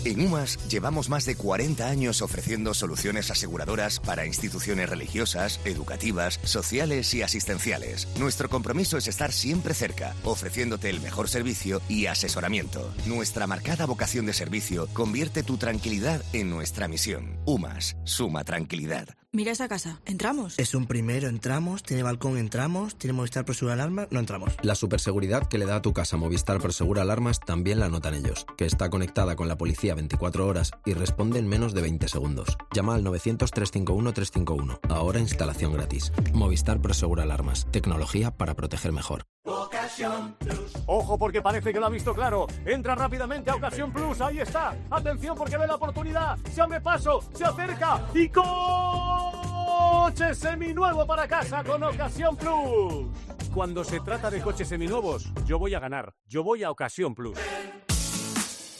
En UMAS llevamos más de cuarenta años ofreciendo soluciones aseguradoras para instituciones religiosas, educativas, sociales y asistenciales. Nuestro compromiso es estar siempre cerca, ofreciéndote el mejor servicio y asesoramiento. Nuestra marcada vocación de servicio convierte tu tranquilidad en nuestra misión. UMAS, suma tranquilidad.
Mira esa casa. ¿Entramos?
Es un primero, entramos. Tiene balcón, entramos. Tiene Movistar Prosegura Alarmas, no entramos.
La superseguridad que le da a tu casa Movistar Prosegura Alarmas también la notan ellos, que está conectada con la policía veinticuatro horas y responde en menos de veinte segundos. Llama al novecientos, trescientos cincuenta y uno, trescientos cincuenta y uno. Ahora instalación gratis. Movistar Prosegura Alarmas. Tecnología para proteger mejor.
Ocasión Plus. Ojo porque parece que lo ha visto claro. Entra rápidamente a Ocasión Plus. Ahí está. Atención porque ve la oportunidad. Se abre paso. Se acerca. Y coche seminuevo para casa con Ocasión Plus. Cuando se trata de coches seminuevos, yo voy a ganar. Yo voy a Ocasión Plus.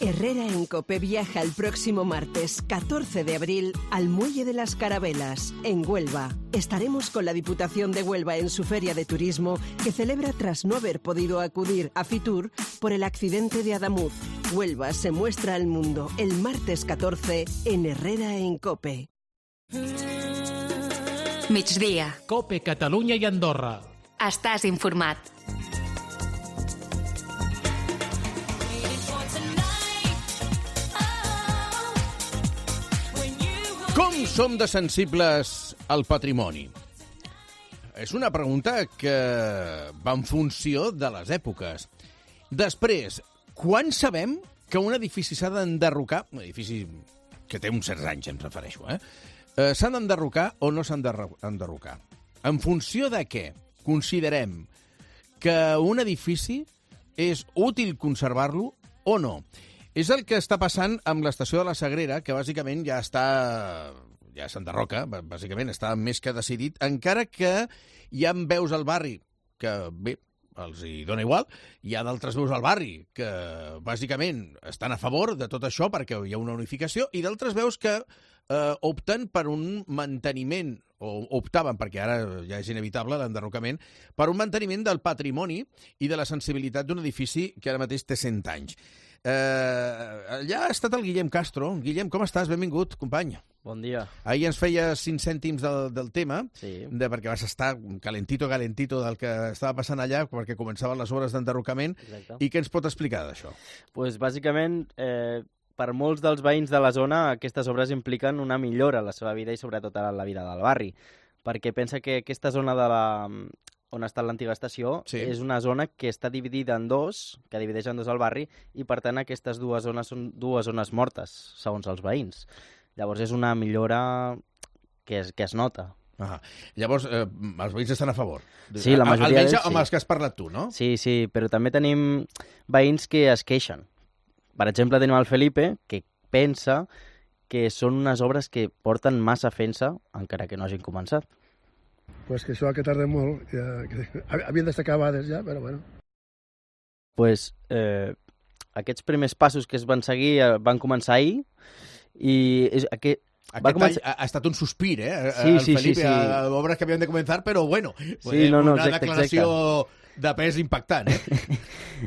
Herrera en Cope viaja el próximo martes catorce de abril al Muelle de las Carabelas, en Huelva. Estaremos con la Diputación de Huelva en su feria de turismo que celebra tras no haber podido acudir a Fitur por el accidente de Adamuz. Huelva se muestra al mundo el martes catorce en Herrera en Cope.
Migdia.
Cope Catalunya i Andorra.
Estàs informat.
Com som de sensibles al patrimoni? És una pregunta que va en funció de les èpoques. Després, quan sabem que un edifici s'ha d'enderrocar, un edifici que té uns certs anys, em refereixo, eh? eh s'han d'enderrocar o no s'han d'enderrocar? En funció de què considerem que un edifici és útil conservar-lo o no? És el que està passant amb l'estació de la Sagrera, que bàsicament ja està... ja s'enderroca, bàsicament està més que decidit, encara que hi ha veus al barri que, bé, els hi dona igual, hi ha d'altres veus al barri que, bàsicament, estan a favor de tot això perquè hi ha una unificació, i d'altres veus que eh, opten per un manteniment, o optaven, perquè ara ja és inevitable l'enderrocament, per un manteniment del patrimoni i de la sensibilitat d'un edifici que ara mateix té cent anys. Eh, allà ha estat el Guillem Castro. Guillem, com estàs? Benvingut, company.
Bon dia.
Ahir ens feia cinc cèntims del, del tema,
sí.
de, perquè vas estar calentito, calentito del que estava passant allà, perquè començaven les obres d'enderrocament.
Exacte.
I què ens pot explicar d'això?
Pues, bàsicament, eh, per molts dels veïns de la zona, aquestes obres impliquen una millora a la seva vida i sobretot a la vida del barri, perquè pensa que aquesta zona de la... on està l'antiga estació, sí. és una zona que està dividida en dos, que divideix en dos el barri, i per tant aquestes dues zones són dues zones mortes, segons els veïns. Llavors és una millora que es, que es nota.
Ah, llavors, eh, els veïns estan a favor?
Sí, la majoria
d'ells,
sí.
Amb els que has parlat tu, no?
Sí, sí, però també tenim veïns que es queixen. Per exemple, tenim el Felipe, que pensa que són unes obres que porten massa fent-se, encara que no hagin començat.
Pues que això que tarda molt, ja, que havien d'estar acabades ja, però bueno.
Pues eh, aquests primers passos que es van seguir eh, van començar ahir i és, aquest,
Aquest va començar... any ha estat un sospir, eh?
Sí,
el
sí,
Felipe,
sí, sí.
a obres que havien de començar, però bueno,
sí, no, no,
una
exacte,
declaració
exacte.
de pes impactant, eh?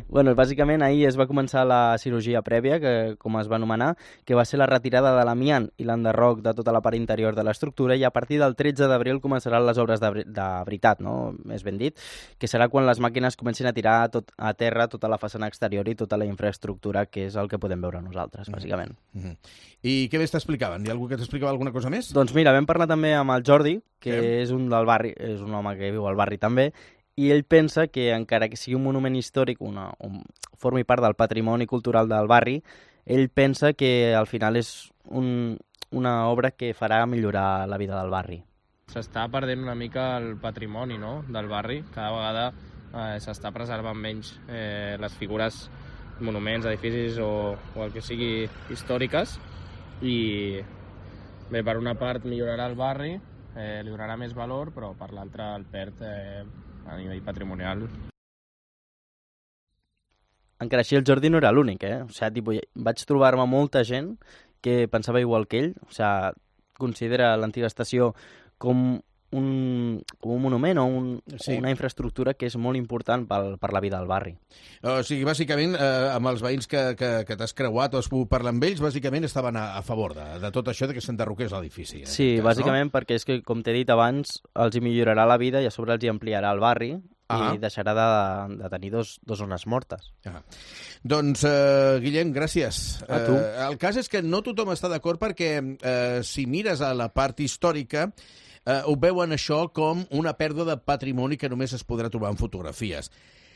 Bueno, bàsicament ahir es va començar la cirurgia prèvia, que, com es va anomenar, que va ser la retirada de l'amiant i l'enderroc de tota la part interior de l'estructura, i a partir del tretze d'abril començaran les obres de, de veritat, no? Més ben dit, que serà quan les màquines comencin a tirar tot, a terra tota la façana exterior i tota la infraestructura, que és el que podem veure nosaltres, bàsicament.
Mm-hmm. I què més t'explicaven? Hi ha algú que t'explicava alguna cosa més?
Doncs mira, vam parlar també amb el Jordi, que
sí.
és un del barri, és un home que viu al barri també, i ell pensa que encara que sigui un monument històric, una, un, formi part del patrimoni cultural del barri, ell pensa que al final és un, una obra que farà millorar la vida del barri.
S'està perdent una mica el patrimoni, no?, del barri. Cada vegada eh, s'està preservant menys eh, les figures, monuments, edificis o, o el que sigui històriques, i bé, per una part millorarà el barri, eh, li donarà més valor, però per l'altra el perd eh, a nivell patrimonial.
Encara així el Jordi no era l'únic, eh? O sigui, tipus, vaig trobar-me molta gent que pensava igual que ell, o sigui, considera l'antiga estació com un, com un monument o un, sí. una infraestructura que és molt important pel, per la vida del barri.
O sigui, bàsicament, eh, amb els veïns que, que, que t'has creuat o has pogut parlar amb ells, bàsicament estaven a, a favor de, de tot això de que s'enderroqués l'edifici.
Sí, cas, bàsicament, no? Perquè és que, com t'he dit abans, els hi millorarà la vida i a sobre els hi ampliarà el barri, ah. i deixarà de, de tenir dos, dos zones mortes.
Ah. Doncs, eh, Guillem, gràcies.
A tu.
Eh, el cas és que no tothom està d'acord perquè eh, si mires a la part històrica eh, ho veuen això com una pèrdua de patrimoni que només es podrà trobar en fotografies.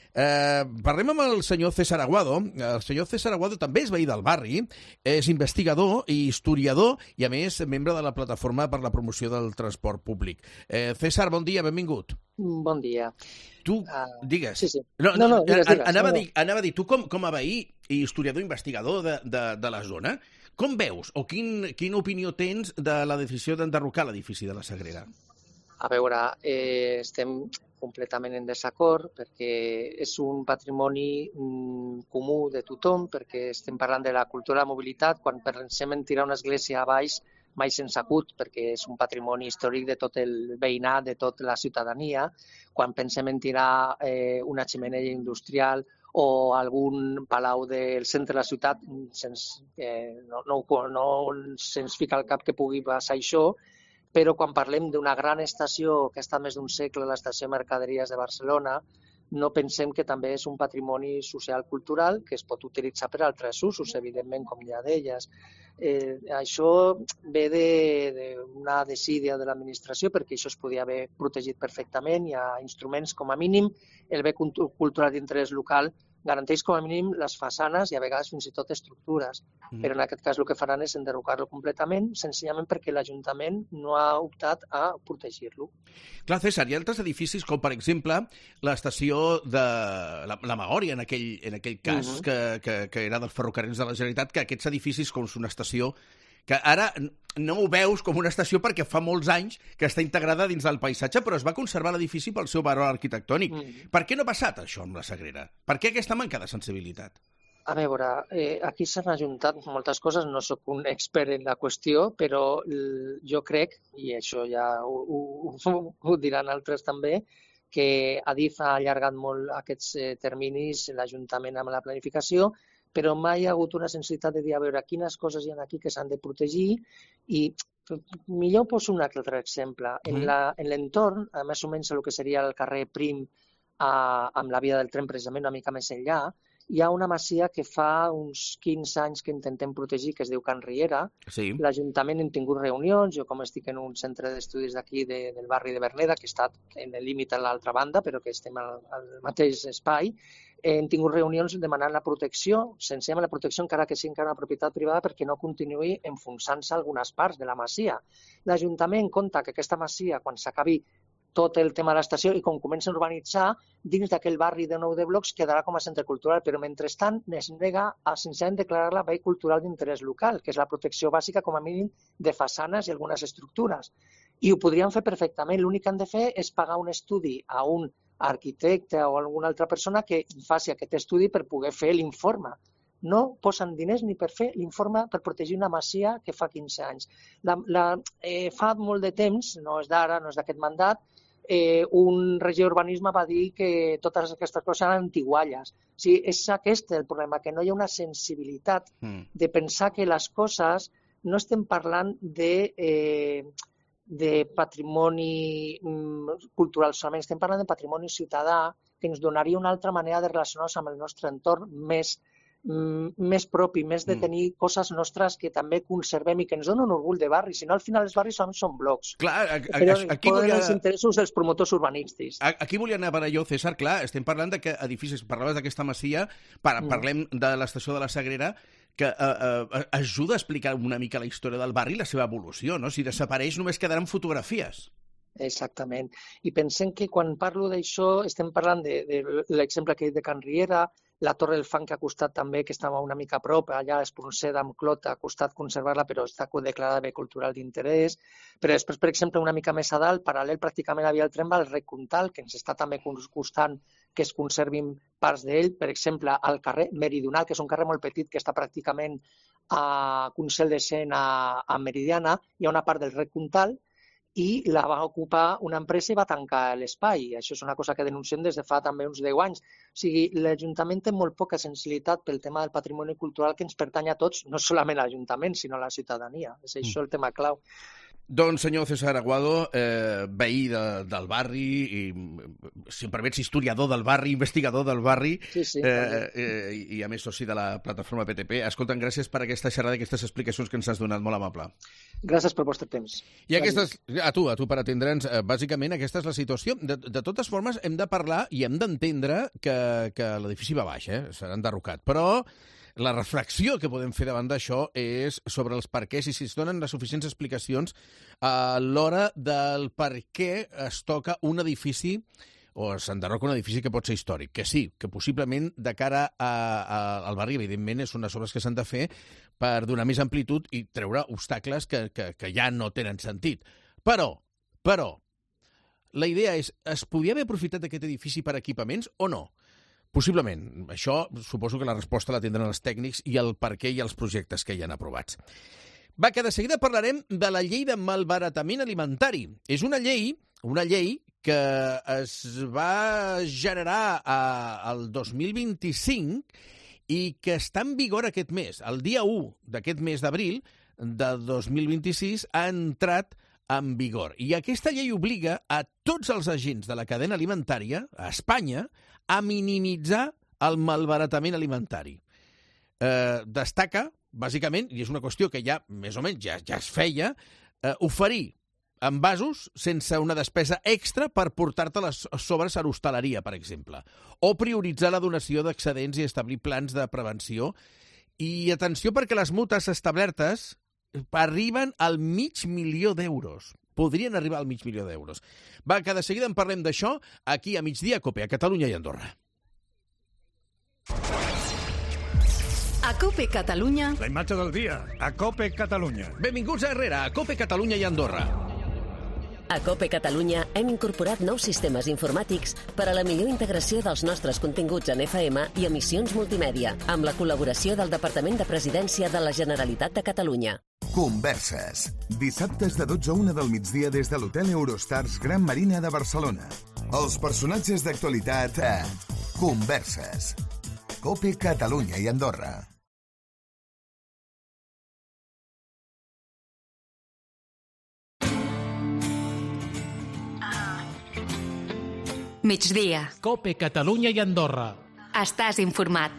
Eh, parlem amb el senyor César Aguado. El senyor César Aguado també és veí del barri, és investigador i historiador i, a més, membre de la Plataforma per la Promoció del Transport Públic. Eh, César, bon dia, benvingut.
Bon dia.
Tu, uh, digues.
Sí, sí.
No, no,
no, no digues, digues.
Anava,
no, no.
A dir, anava a dir, tu com, com a veí i historiador investigador de, de, de la zona, com veus o quin, quina opinió tens de la decisió d'enderrocar l'edifici de la Sagrera?
A veure, eh, estem completament en desacord perquè és un patrimoni mm, comú de tothom, perquè estem parlant de la cultura de la mobilitat. Quan pensem en tirar una església a baix, mai se'ns acut, perquè és un patrimoni històric de tot el veïnat, de tota la ciutadania. Quan pensem en tirar eh, una xemeneia industrial o algun palau del centre de la ciutat, se'ns, eh, no, no, no se'ns fica al cap que pugui passar això, però quan parlem d'una gran estació que està més d'un segle, l'estació de Mercaderies de Barcelona, no pensem que també és un patrimoni social-cultural que es pot utilitzar per altres usos, evidentment, com ja deies. Eh, això ve d'una de, desídia de l'administració, perquè això es podia haver protegit perfectament. Hi ha instruments, com a mínim, el bé cultural d'interès local garanteix com a mínim les façanes i a vegades fins i tot estructures. Mm. Però en aquest cas el que faran és enderrocar-lo completament, senzillament perquè l'Ajuntament no ha optat a protegir-lo.
Clar, César, hi ha altres edificis com, per exemple, l'estació de la, la Magòria, en aquell, en aquell cas, mm-hmm. que, que, que era dels ferrocarrils de la Generalitat, que aquests edificis, com una estació que ara no ho veus com una estació perquè fa molts anys que està integrada dins del paisatge, però es va conservar l'edifici pel seu valor arquitectònic. Mm. Per què no ha passat això amb la Sagrera? Per què aquesta manca de sensibilitat?
A veure, eh, aquí s'han ajuntat moltes coses, no sóc un expert en la qüestió, però jo crec, i això ja ho, ho, ho diran altres també, que Adif ha allargat molt aquests eh, terminis, l'Ajuntament amb la planificació, però mai hi ha hagut una sensibilitat de dir a veure quines coses hi ha aquí que s'han de protegir i millor poso un altre exemple. En l'entorn, més o menys el que seria el carrer Prim a, amb la via del tren precisament una mica més enllà, hi ha una masia que fa uns quinze anys que intentem protegir, que es diu Can Riera. Sí. L'Ajuntament hem tingut reunions, jo com estic en un centre d'estudis d'aquí de, del barri de Verneda, que està en el límit a l'altra banda, però que estem al, al mateix espai, hem tingut reunions demanant la protecció, senzillament la protecció encara que sigui encara una propietat privada perquè no continuï enfonsant-se algunes parts de la masia. L'Ajuntament compta que aquesta masia, quan s'acabi tot el tema de l'estació i com comença a urbanitzar, dins d'aquell barri de nou de blocs quedarà com a centre cultural, però mentrestant es nega a senzillament declarar-la bé cultural d'interès local, que és la protecció bàsica com a mínim de façanes i algunes estructures. I ho podrien fer perfectament, l'únic que han de fer és pagar un estudi a un arquitecte o alguna altra persona que faci aquest estudi per poder fer l'informe. No posen diners ni per fer l'informe per protegir una masia que fa quinze anys. La, la, eh, fa molt de temps, no és d'ara, no és d'aquest mandat, eh, un regidor d'urbanisme va dir que totes aquestes coses eren antigualles. O sigui, és aquest el problema, que no hi ha una sensibilitat mm. de pensar que les coses no estem parlant de... Eh, de patrimoni cultural solament, estem parlant de patrimoni ciutadà que ens donaria una altra manera de relacionar-nos amb el nostre entorn més, més propi, més de tenir mm. coses nostres que també conservem i que ens donen un orgull de barri, si no al final els barris són, són blocs.
Clar, a, a,
però
aquí
poden
volia...
els interessos dels promotors urbanístics.
Aquí volia anar per allò, César, clar, estem parlant de que edificis, parlaves d'aquesta masia, par mm. parlem de l'estació de la Sagrera, que eh, eh, ajuda a explicar una mica la història del barri i la seva evolució, no? Si desapareix només quedaran fotografies.
Exactament. I pensem que quan parlo d'això estem parlant de, de l'exemple que he dit de Can Riera, la Torre del Fang que ha costat també, que estava una mica a prop, allà a Espronceda amb Clota, ha costat conservar-la, però està declarada bé cultural d'interès. Però després, per exemple, una mica més a dalt, paral·lel pràcticament a via del tren, va el Rec Comtal, que ens està també costant que es conservin parts d'ell. Per exemple, al carrer Meridional, que és un carrer molt petit, que està pràcticament a Consell de Cent a, a Meridiana, hi ha una part del Rec Comtal, i la va ocupar una empresa i va tancar l'espai. Això és una cosa que denunciem des de fa també uns deu anys. O sigui, l'Ajuntament té molt poca sensibilitat pel tema del patrimoni cultural que ens pertany a tots, no solament a l'Ajuntament, sinó a la ciutadania. És això el tema clau.
Doncs, senyor César Aguado, eh, veí de, del barri, i, si em permets, historiador del barri, investigador del barri,
sí, sí,
eh, eh, i a més soci de la plataforma P T P. Escolta'm, gràcies per aquesta xerrada i aquestes explicacions que ens has donat, molt amable.
Gràcies pel vostre temps.
I aquestes, a tu, a tu per atendre'ns, eh, bàsicament aquesta és la situació. De, de totes formes, hem de parlar i hem d'entendre que, que l'edifici va baix, eh? Serà enderrocat, però la reflexió que podem fer davant d'això és sobre els perquès i si es donen les suficients explicacions a l'hora del per què es toca un edifici o s'enderroca un edifici que pot ser històric, que sí, que possiblement de cara a, a, al barri, evidentment, és unes obres que s'han de fer per donar més amplitud i treure obstacles que, que, que ja no tenen sentit. Però, però, la idea és, es podia haver aprofitat aquest edifici per equipaments o no? Possiblement. Això suposo que la resposta la tindran els tècnics i el per què i els projectes que hi han aprovats. Va, que de seguida parlarem de la llei de malbaratament alimentari. És una llei, una llei que es va generar al dos mil vint-i-cinc i que està en vigor aquest mes. El dia u d'aquest mes d'abril de dos mil vint-i-sis ha entrat en vigor. I aquesta llei obliga a tots els agents de la cadena alimentària, a Espanya, a minimitzar el malbaratament alimentari. Eh, destaca, bàsicament, i és una qüestió que ja, més o menys, ja, ja es feia, eh, oferir envasos sense una despesa extra per portar-te-les sobre a l'hostaleria, per exemple. O prioritzar la donació d'excedents i establir plans de prevenció. I atenció, perquè les multes establertes arriben al mig milió d'euros. Podrien arribar al mig milió d'euros. Va, que de seguida en parlem d'això aquí a Migdia Cope, a Catalunya i Andorra.
A Cope Catalunya...
La imatge del dia, a Cope Catalunya.
Benvinguts a Herrera, a Cope Catalunya i Andorra.
A Cope Catalunya hem incorporat nous sistemes informàtics per a la millor integració dels nostres continguts en F M i emissions multimèdia, amb la col·laboració del Departament de Presidència de la Generalitat de Catalunya.
Converses. Dissabtes de dotze a una del migdia des de l'Hotel Eurostars Gran Marina de Barcelona. Els personatges d'actualitat a Converses. Cope Catalunya i Andorra.
Migdia.
Cope Catalunya i Andorra.
Estàs informat.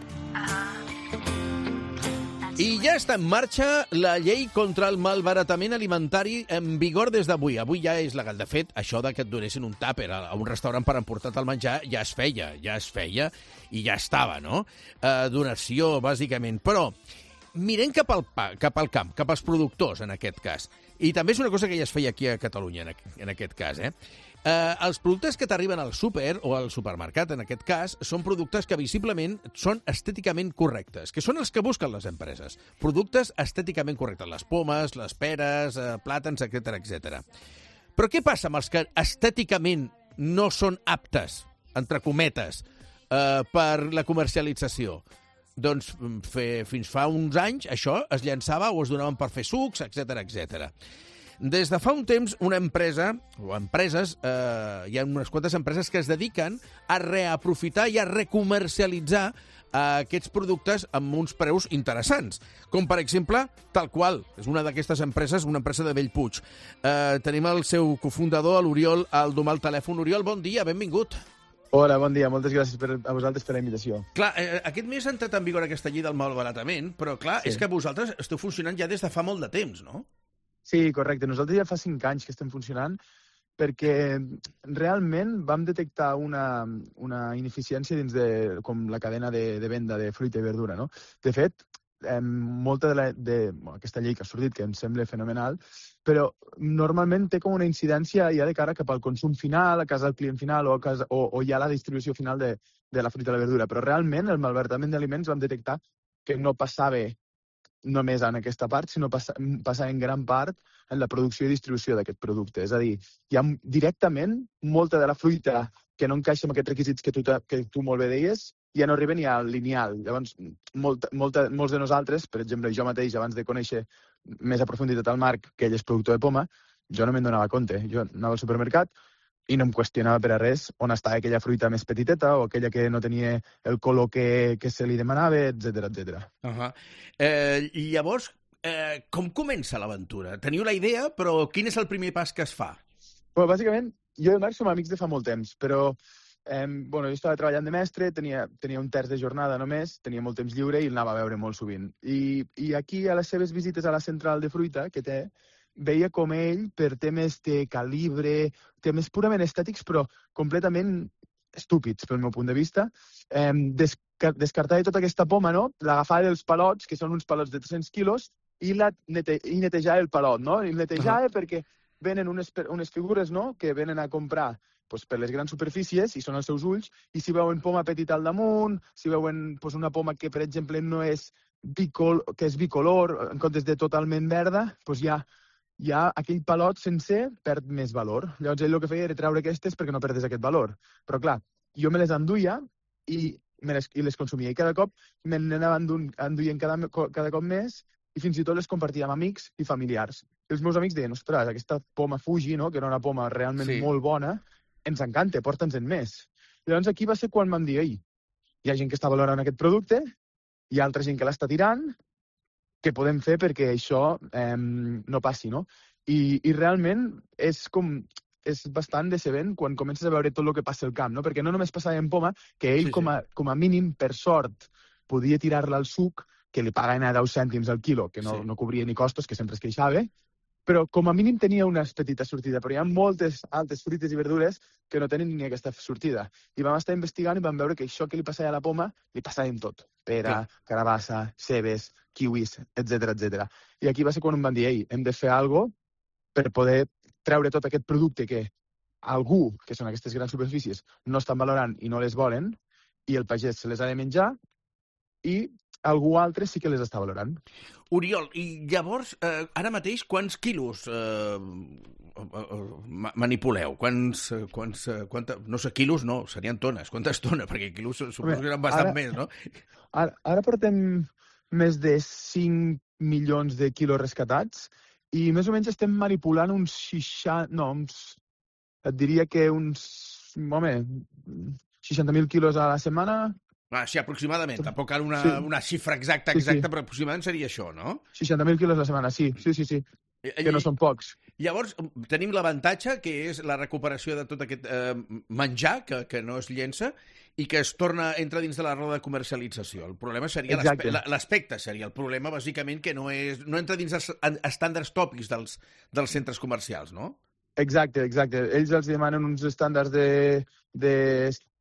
I ja està en marxa la llei contra el malbaratament alimentari en vigor des d'avui. Avui ja és legal. De fet, això de que et donessin un tàper a un restaurant per emportar-te el menjar ja es feia, ja es feia i ja estava, no? Eh, donació, bàsicament. Però mirem cap al, pa, cap al camp, cap als productors, en aquest cas. I també és una cosa que ja es feia aquí a Catalunya, en aquest cas, eh? Eh, els productes que t'arriben al súper o al supermercat, en aquest cas, són productes que visiblement són estèticament correctes, que són els que busquen les empreses. Productes estèticament correctes, les pomes, les peres, eh, plàtans, etcètera, etcètera. Però què passa amb els que estèticament no són aptes, entre cometes, eh, per la comercialització? Doncs fe, fins fa uns anys això es llançava o es donaven per fer sucs, etcètera, etcètera. Des de fa un temps, una empresa, o empreses, eh, hi ha unes quantes empreses que es dediquen a reaprofitar i a recomercialitzar eh, aquests productes amb uns preus interessants. Com, per exemple, tal qual, és una d'aquestes empreses, una empresa de Bellpuig. Eh, tenim el seu cofundador, l'Oriol, al domar el telèfon. Oriol, bon dia, benvingut.
Hola, bon dia. Moltes gràcies per, a vosaltres per la invitació.
Clar, eh, aquest mes ha entrat en vigor aquesta llei del malbaratament, però clar, sí. És que vosaltres esteu funcionant ja des de fa molt de temps, no?
Sí, correcte. Nosaltres ja fa cinc anys que estem funcionant perquè realment vam detectar una, una ineficiència dins de com la cadena de, de venda de fruita i verdura, no? De fet, eh, molta de, la, de bueno, aquesta llei que ha sortit, que em sembla fenomenal, però normalment té com una incidència ja de cara cap al consum final, a casa del client final o, a casa, o, o ja la distribució final de, de la fruita i la verdura. Però realment el malbaratament d'aliments vam detectar que no passava només en aquesta part, sinó passa, passa en gran part en la producció i distribució d'aquest producte. És a dir, hi ha directament molta de la fruita que no encaixa amb aquests requisits que tu, que tu molt bé deies, ja no arriba ni al lineal. Llavors, molta, molta, molts de nosaltres, per exemple, jo mateix, abans de conèixer més a profunditat el Marc, que ell és productor de poma, jo no me'n donava compte. Jo anava al supermercat i no em qüestionava per a res on estava aquella fruita més petiteta o aquella que no tenia el color que, que se li demanava, etcètera, etcètera.
Uh-huh. Eh, I llavors, eh, com comença l'aventura? Teniu la idea, però quin és el primer pas que es fa?
Bueno, bàsicament, jo i el Marc som amics de fa molt temps, però eh, bueno, jo estava treballant de mestre, tenia, tenia un terç de jornada només, tenia molt temps lliure i el anava a veure molt sovint. I, i aquí, a les seves visites a la central de fruita que té, veia com ell, per temes de calibre, temes purament estètics, però completament estúpids, pel meu punt de vista, eh, desca descartava tota aquesta poma, no? L'agafava dels palots, que són uns palots de tres-cents quilos, i, la nete i netejava el palot, no? I el netejava uh -huh. perquè venen unes, unes figures, no?, que venen a comprar pues, per les grans superfícies, i són els seus ulls, i si veuen poma petita al damunt, si veuen pues, una poma que, per exemple, no és bicol que és bicolor, en comptes de totalment verda, doncs ja ja aquell palot sencer perd més valor. Llavors ell el que feia era treure aquestes perquè no perdés aquest valor. Però clar, jo me les enduia i, me les, i les consumia. I cada cop me n'anava enduient cada, cada cop més i fins i tot les compartia amb amics i familiars. Els meus amics deien, ostres, aquesta poma Fuji, no?, que era una poma realment sí. molt bona, ens encanta, porta'ns-en més. Llavors aquí va ser quan vam dir, ei, hi ha gent que està valorant aquest producte, hi ha altra gent que l'està tirant, què podem fer perquè això eh, no passi, no? I, i realment és com és bastant decebent quan comences a veure tot el que passa al camp, no? Perquè no només passava en poma, que ell sí, sí. Com, a, com a mínim, per sort, podia tirar-la al suc, que li paguen a deu cèntims al quilo, que no, sí. no cobria ni costos, que sempre es queixava, però com a mínim tenia una petita sortida, però hi ha moltes altres fruites i verdures que no tenen ni aquesta sortida. I vam estar investigant i vam veure que això que li passava a la poma li passava en tot. Pera, sí. carabassa, cebes, kiwis, etcètera, etcètera. I aquí va ser quan em van dir, ei, hem de fer alguna cosa per poder treure tot aquest producte que algú, que són aquestes grans superfícies, no estan valorant i no les volen, i el pagès se les ha de menjar, i algú altre sí que les està valorant.
Oriol, i llavors, eh, ara mateix, quants quilos eh, manipuleu? Quants, quants, quanta, no sé, quilos no, serien tones. Quantes tones? Perquè quilos suposo que eren bastant ara, més, no?
Ara, ara portem més de cinc milions de quilos rescatats i més o menys estem manipulant uns seixanta... No, uns, et diria que uns... Home, seixanta mil quilos a la setmana...
Ah, sí, aproximadament. Tampoc cal una,
sí.
una xifra exacta, exacta,
sí, sí.
però aproximadament seria això, no?
seixanta mil quilos a la setmana, sí, sí, sí, sí. Que no són pocs.
Llavors, tenim l'avantatge, que és la recuperació de tot aquest eh, menjar, que, que no es llença, i que es torna, entra dins de la roda de comercialització. El problema seria l'aspecte, seria el problema, bàsicament, que no, és, no entra dins els estàndards tòpics dels, dels centres comercials, no?
Exacte, exacte. Ells els demanen uns estàndards de, de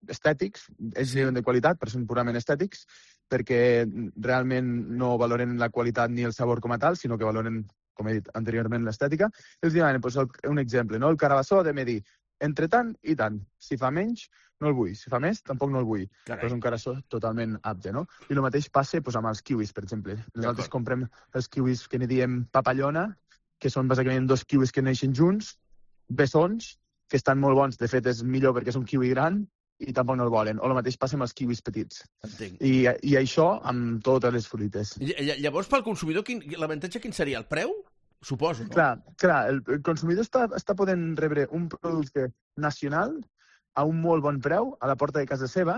estètics, ells diuen de qualitat, però són purament estètics, perquè realment no valoren la qualitat ni el sabor com a tal, sinó que valoren, com he dit anteriorment, l'estètica. Ells demanen, doncs, un exemple, no? El carabassó ha de medir entre tant i tant. Si fa menys, no el vull. Si fa més, tampoc no el vull. Però és un carabassó totalment apte, no? I el mateix passa doncs, amb els kiwis, per exemple. Nosaltres comprem els kiwis que n'hi diem papallona, que són bàsicament dos kiwis que neixen junts, bessons, que estan molt bons. De fet, és millor perquè és un kiwi gran i tampoc no el volen. O el mateix passa amb els kiwis petits.
Entenc.
I, i això amb totes les fruites.
Llavors, pel consumidor, quin, l'avantatge quin seria? El preu? Suposo, no?
Clar, clar el, el consumidor està, està podent rebre un producte nacional a un molt bon preu a la porta de casa seva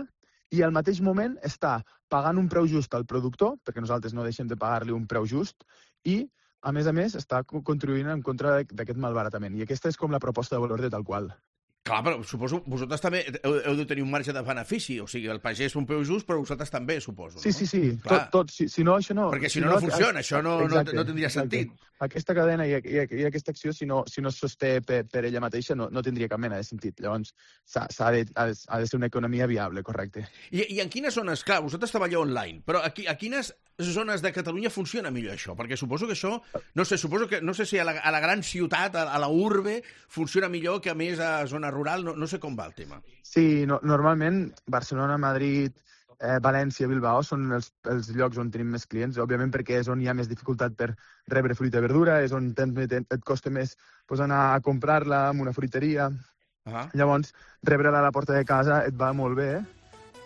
i al mateix moment està pagant un preu just al productor, perquè nosaltres no deixem de pagar-li un preu just, i a més a més, està contribuint en contra d'aquest malbaratament. I aquesta és com la proposta de valor de tal qual.
Clar, però suposo vosaltres també heu, heu de tenir un marge de benefici. O sigui, el pagès un preu just, però vosaltres també, suposo. No?
Sí, sí, sí. Tot, tot. Si, si no, això no...
Perquè si, si no, no funciona, això no, exacte, no, no tindria exacte. sentit.
Aquesta cadena i, i, i aquesta acció, si no, si no es sosté per, per ella mateixa, no, no tindria cap mena de sentit. Llavors, s'ha de, ha de ser una economia viable, correcte.
I, i en quines zones? Clar, vosaltres treballeu online, però a, a quines zones de Catalunya funciona millor això? Perquè suposo que això, no sé, suposo que, no sé si a la, a la gran ciutat, a, a la urbe, funciona millor que a més a zona rural, no, no sé com va el tema.
Sí, no, normalment Barcelona, Madrid, eh, València, Bilbao són els, els llocs on tenim més clients, òbviament perquè és on hi ha més dificultat per rebre fruita i verdura, és on tens, et costa més pues, anar a comprar-la en una fruiteria. Uh-huh. Llavors, rebre-la a la porta de casa et va molt bé,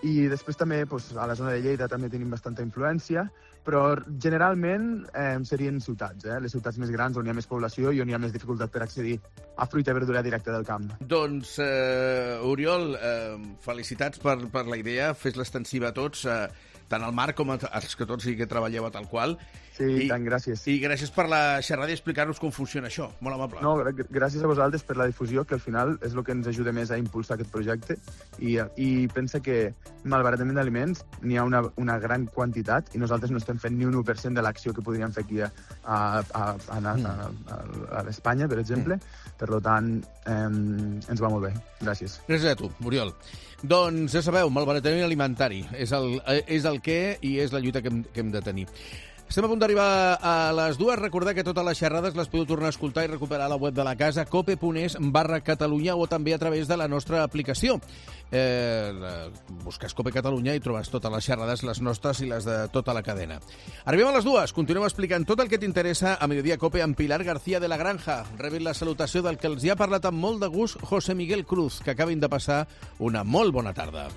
i després també pues, a la zona de Lleida també tenim bastanta influència, però generalment eh, serien ciutats, eh? Les ciutats més grans on hi ha més població i on hi ha més dificultat per accedir a fruita i verdura directa del camp.
Doncs, eh, Oriol, eh, felicitats per, per la idea, fes l'extensiva a tots, eh, tant al Marc com als que tots i que treballeu a tal qual.
Sí, I, tant, gràcies.
I gràcies per la xerrada i explicar-nos com funciona això. Molt amable.
No, gràcies a vosaltres per la difusió, que al final és el que ens ajuda més a impulsar aquest projecte. I, i pensa que malbaratament d'aliments n'hi ha una, una gran quantitat i nosaltres no estem fent ni un u per cent de l'acció que podríem fer aquí a, a, a, a, a, a, a Espanya, per exemple. Mm. Per tant, eh, ens va molt bé. Gràcies.
Gràcies a tu, Oriol. Doncs ja sabeu, malbaratament alimentari és el, és el què i és la lluita que hem, que hem de tenir. Estem a punt d'arribar a les dues. Recordar que totes les xerrades les podeu tornar a escoltar i recuperar a la web de la casa, cope.es barra Catalunya, o també a través de la nostra aplicació. Eh, busques Cope Catalunya i trobes totes les xerrades, les nostres i les de tota la cadena. Arribem a les dues. Continuem explicant tot el que t'interessa a Mediodía Cope amb Pilar García de la Granja. Rebin la salutació del que els hi ha parlat amb molt de gust José Miguel Cruz, que acabin de passar una molt bona tarda.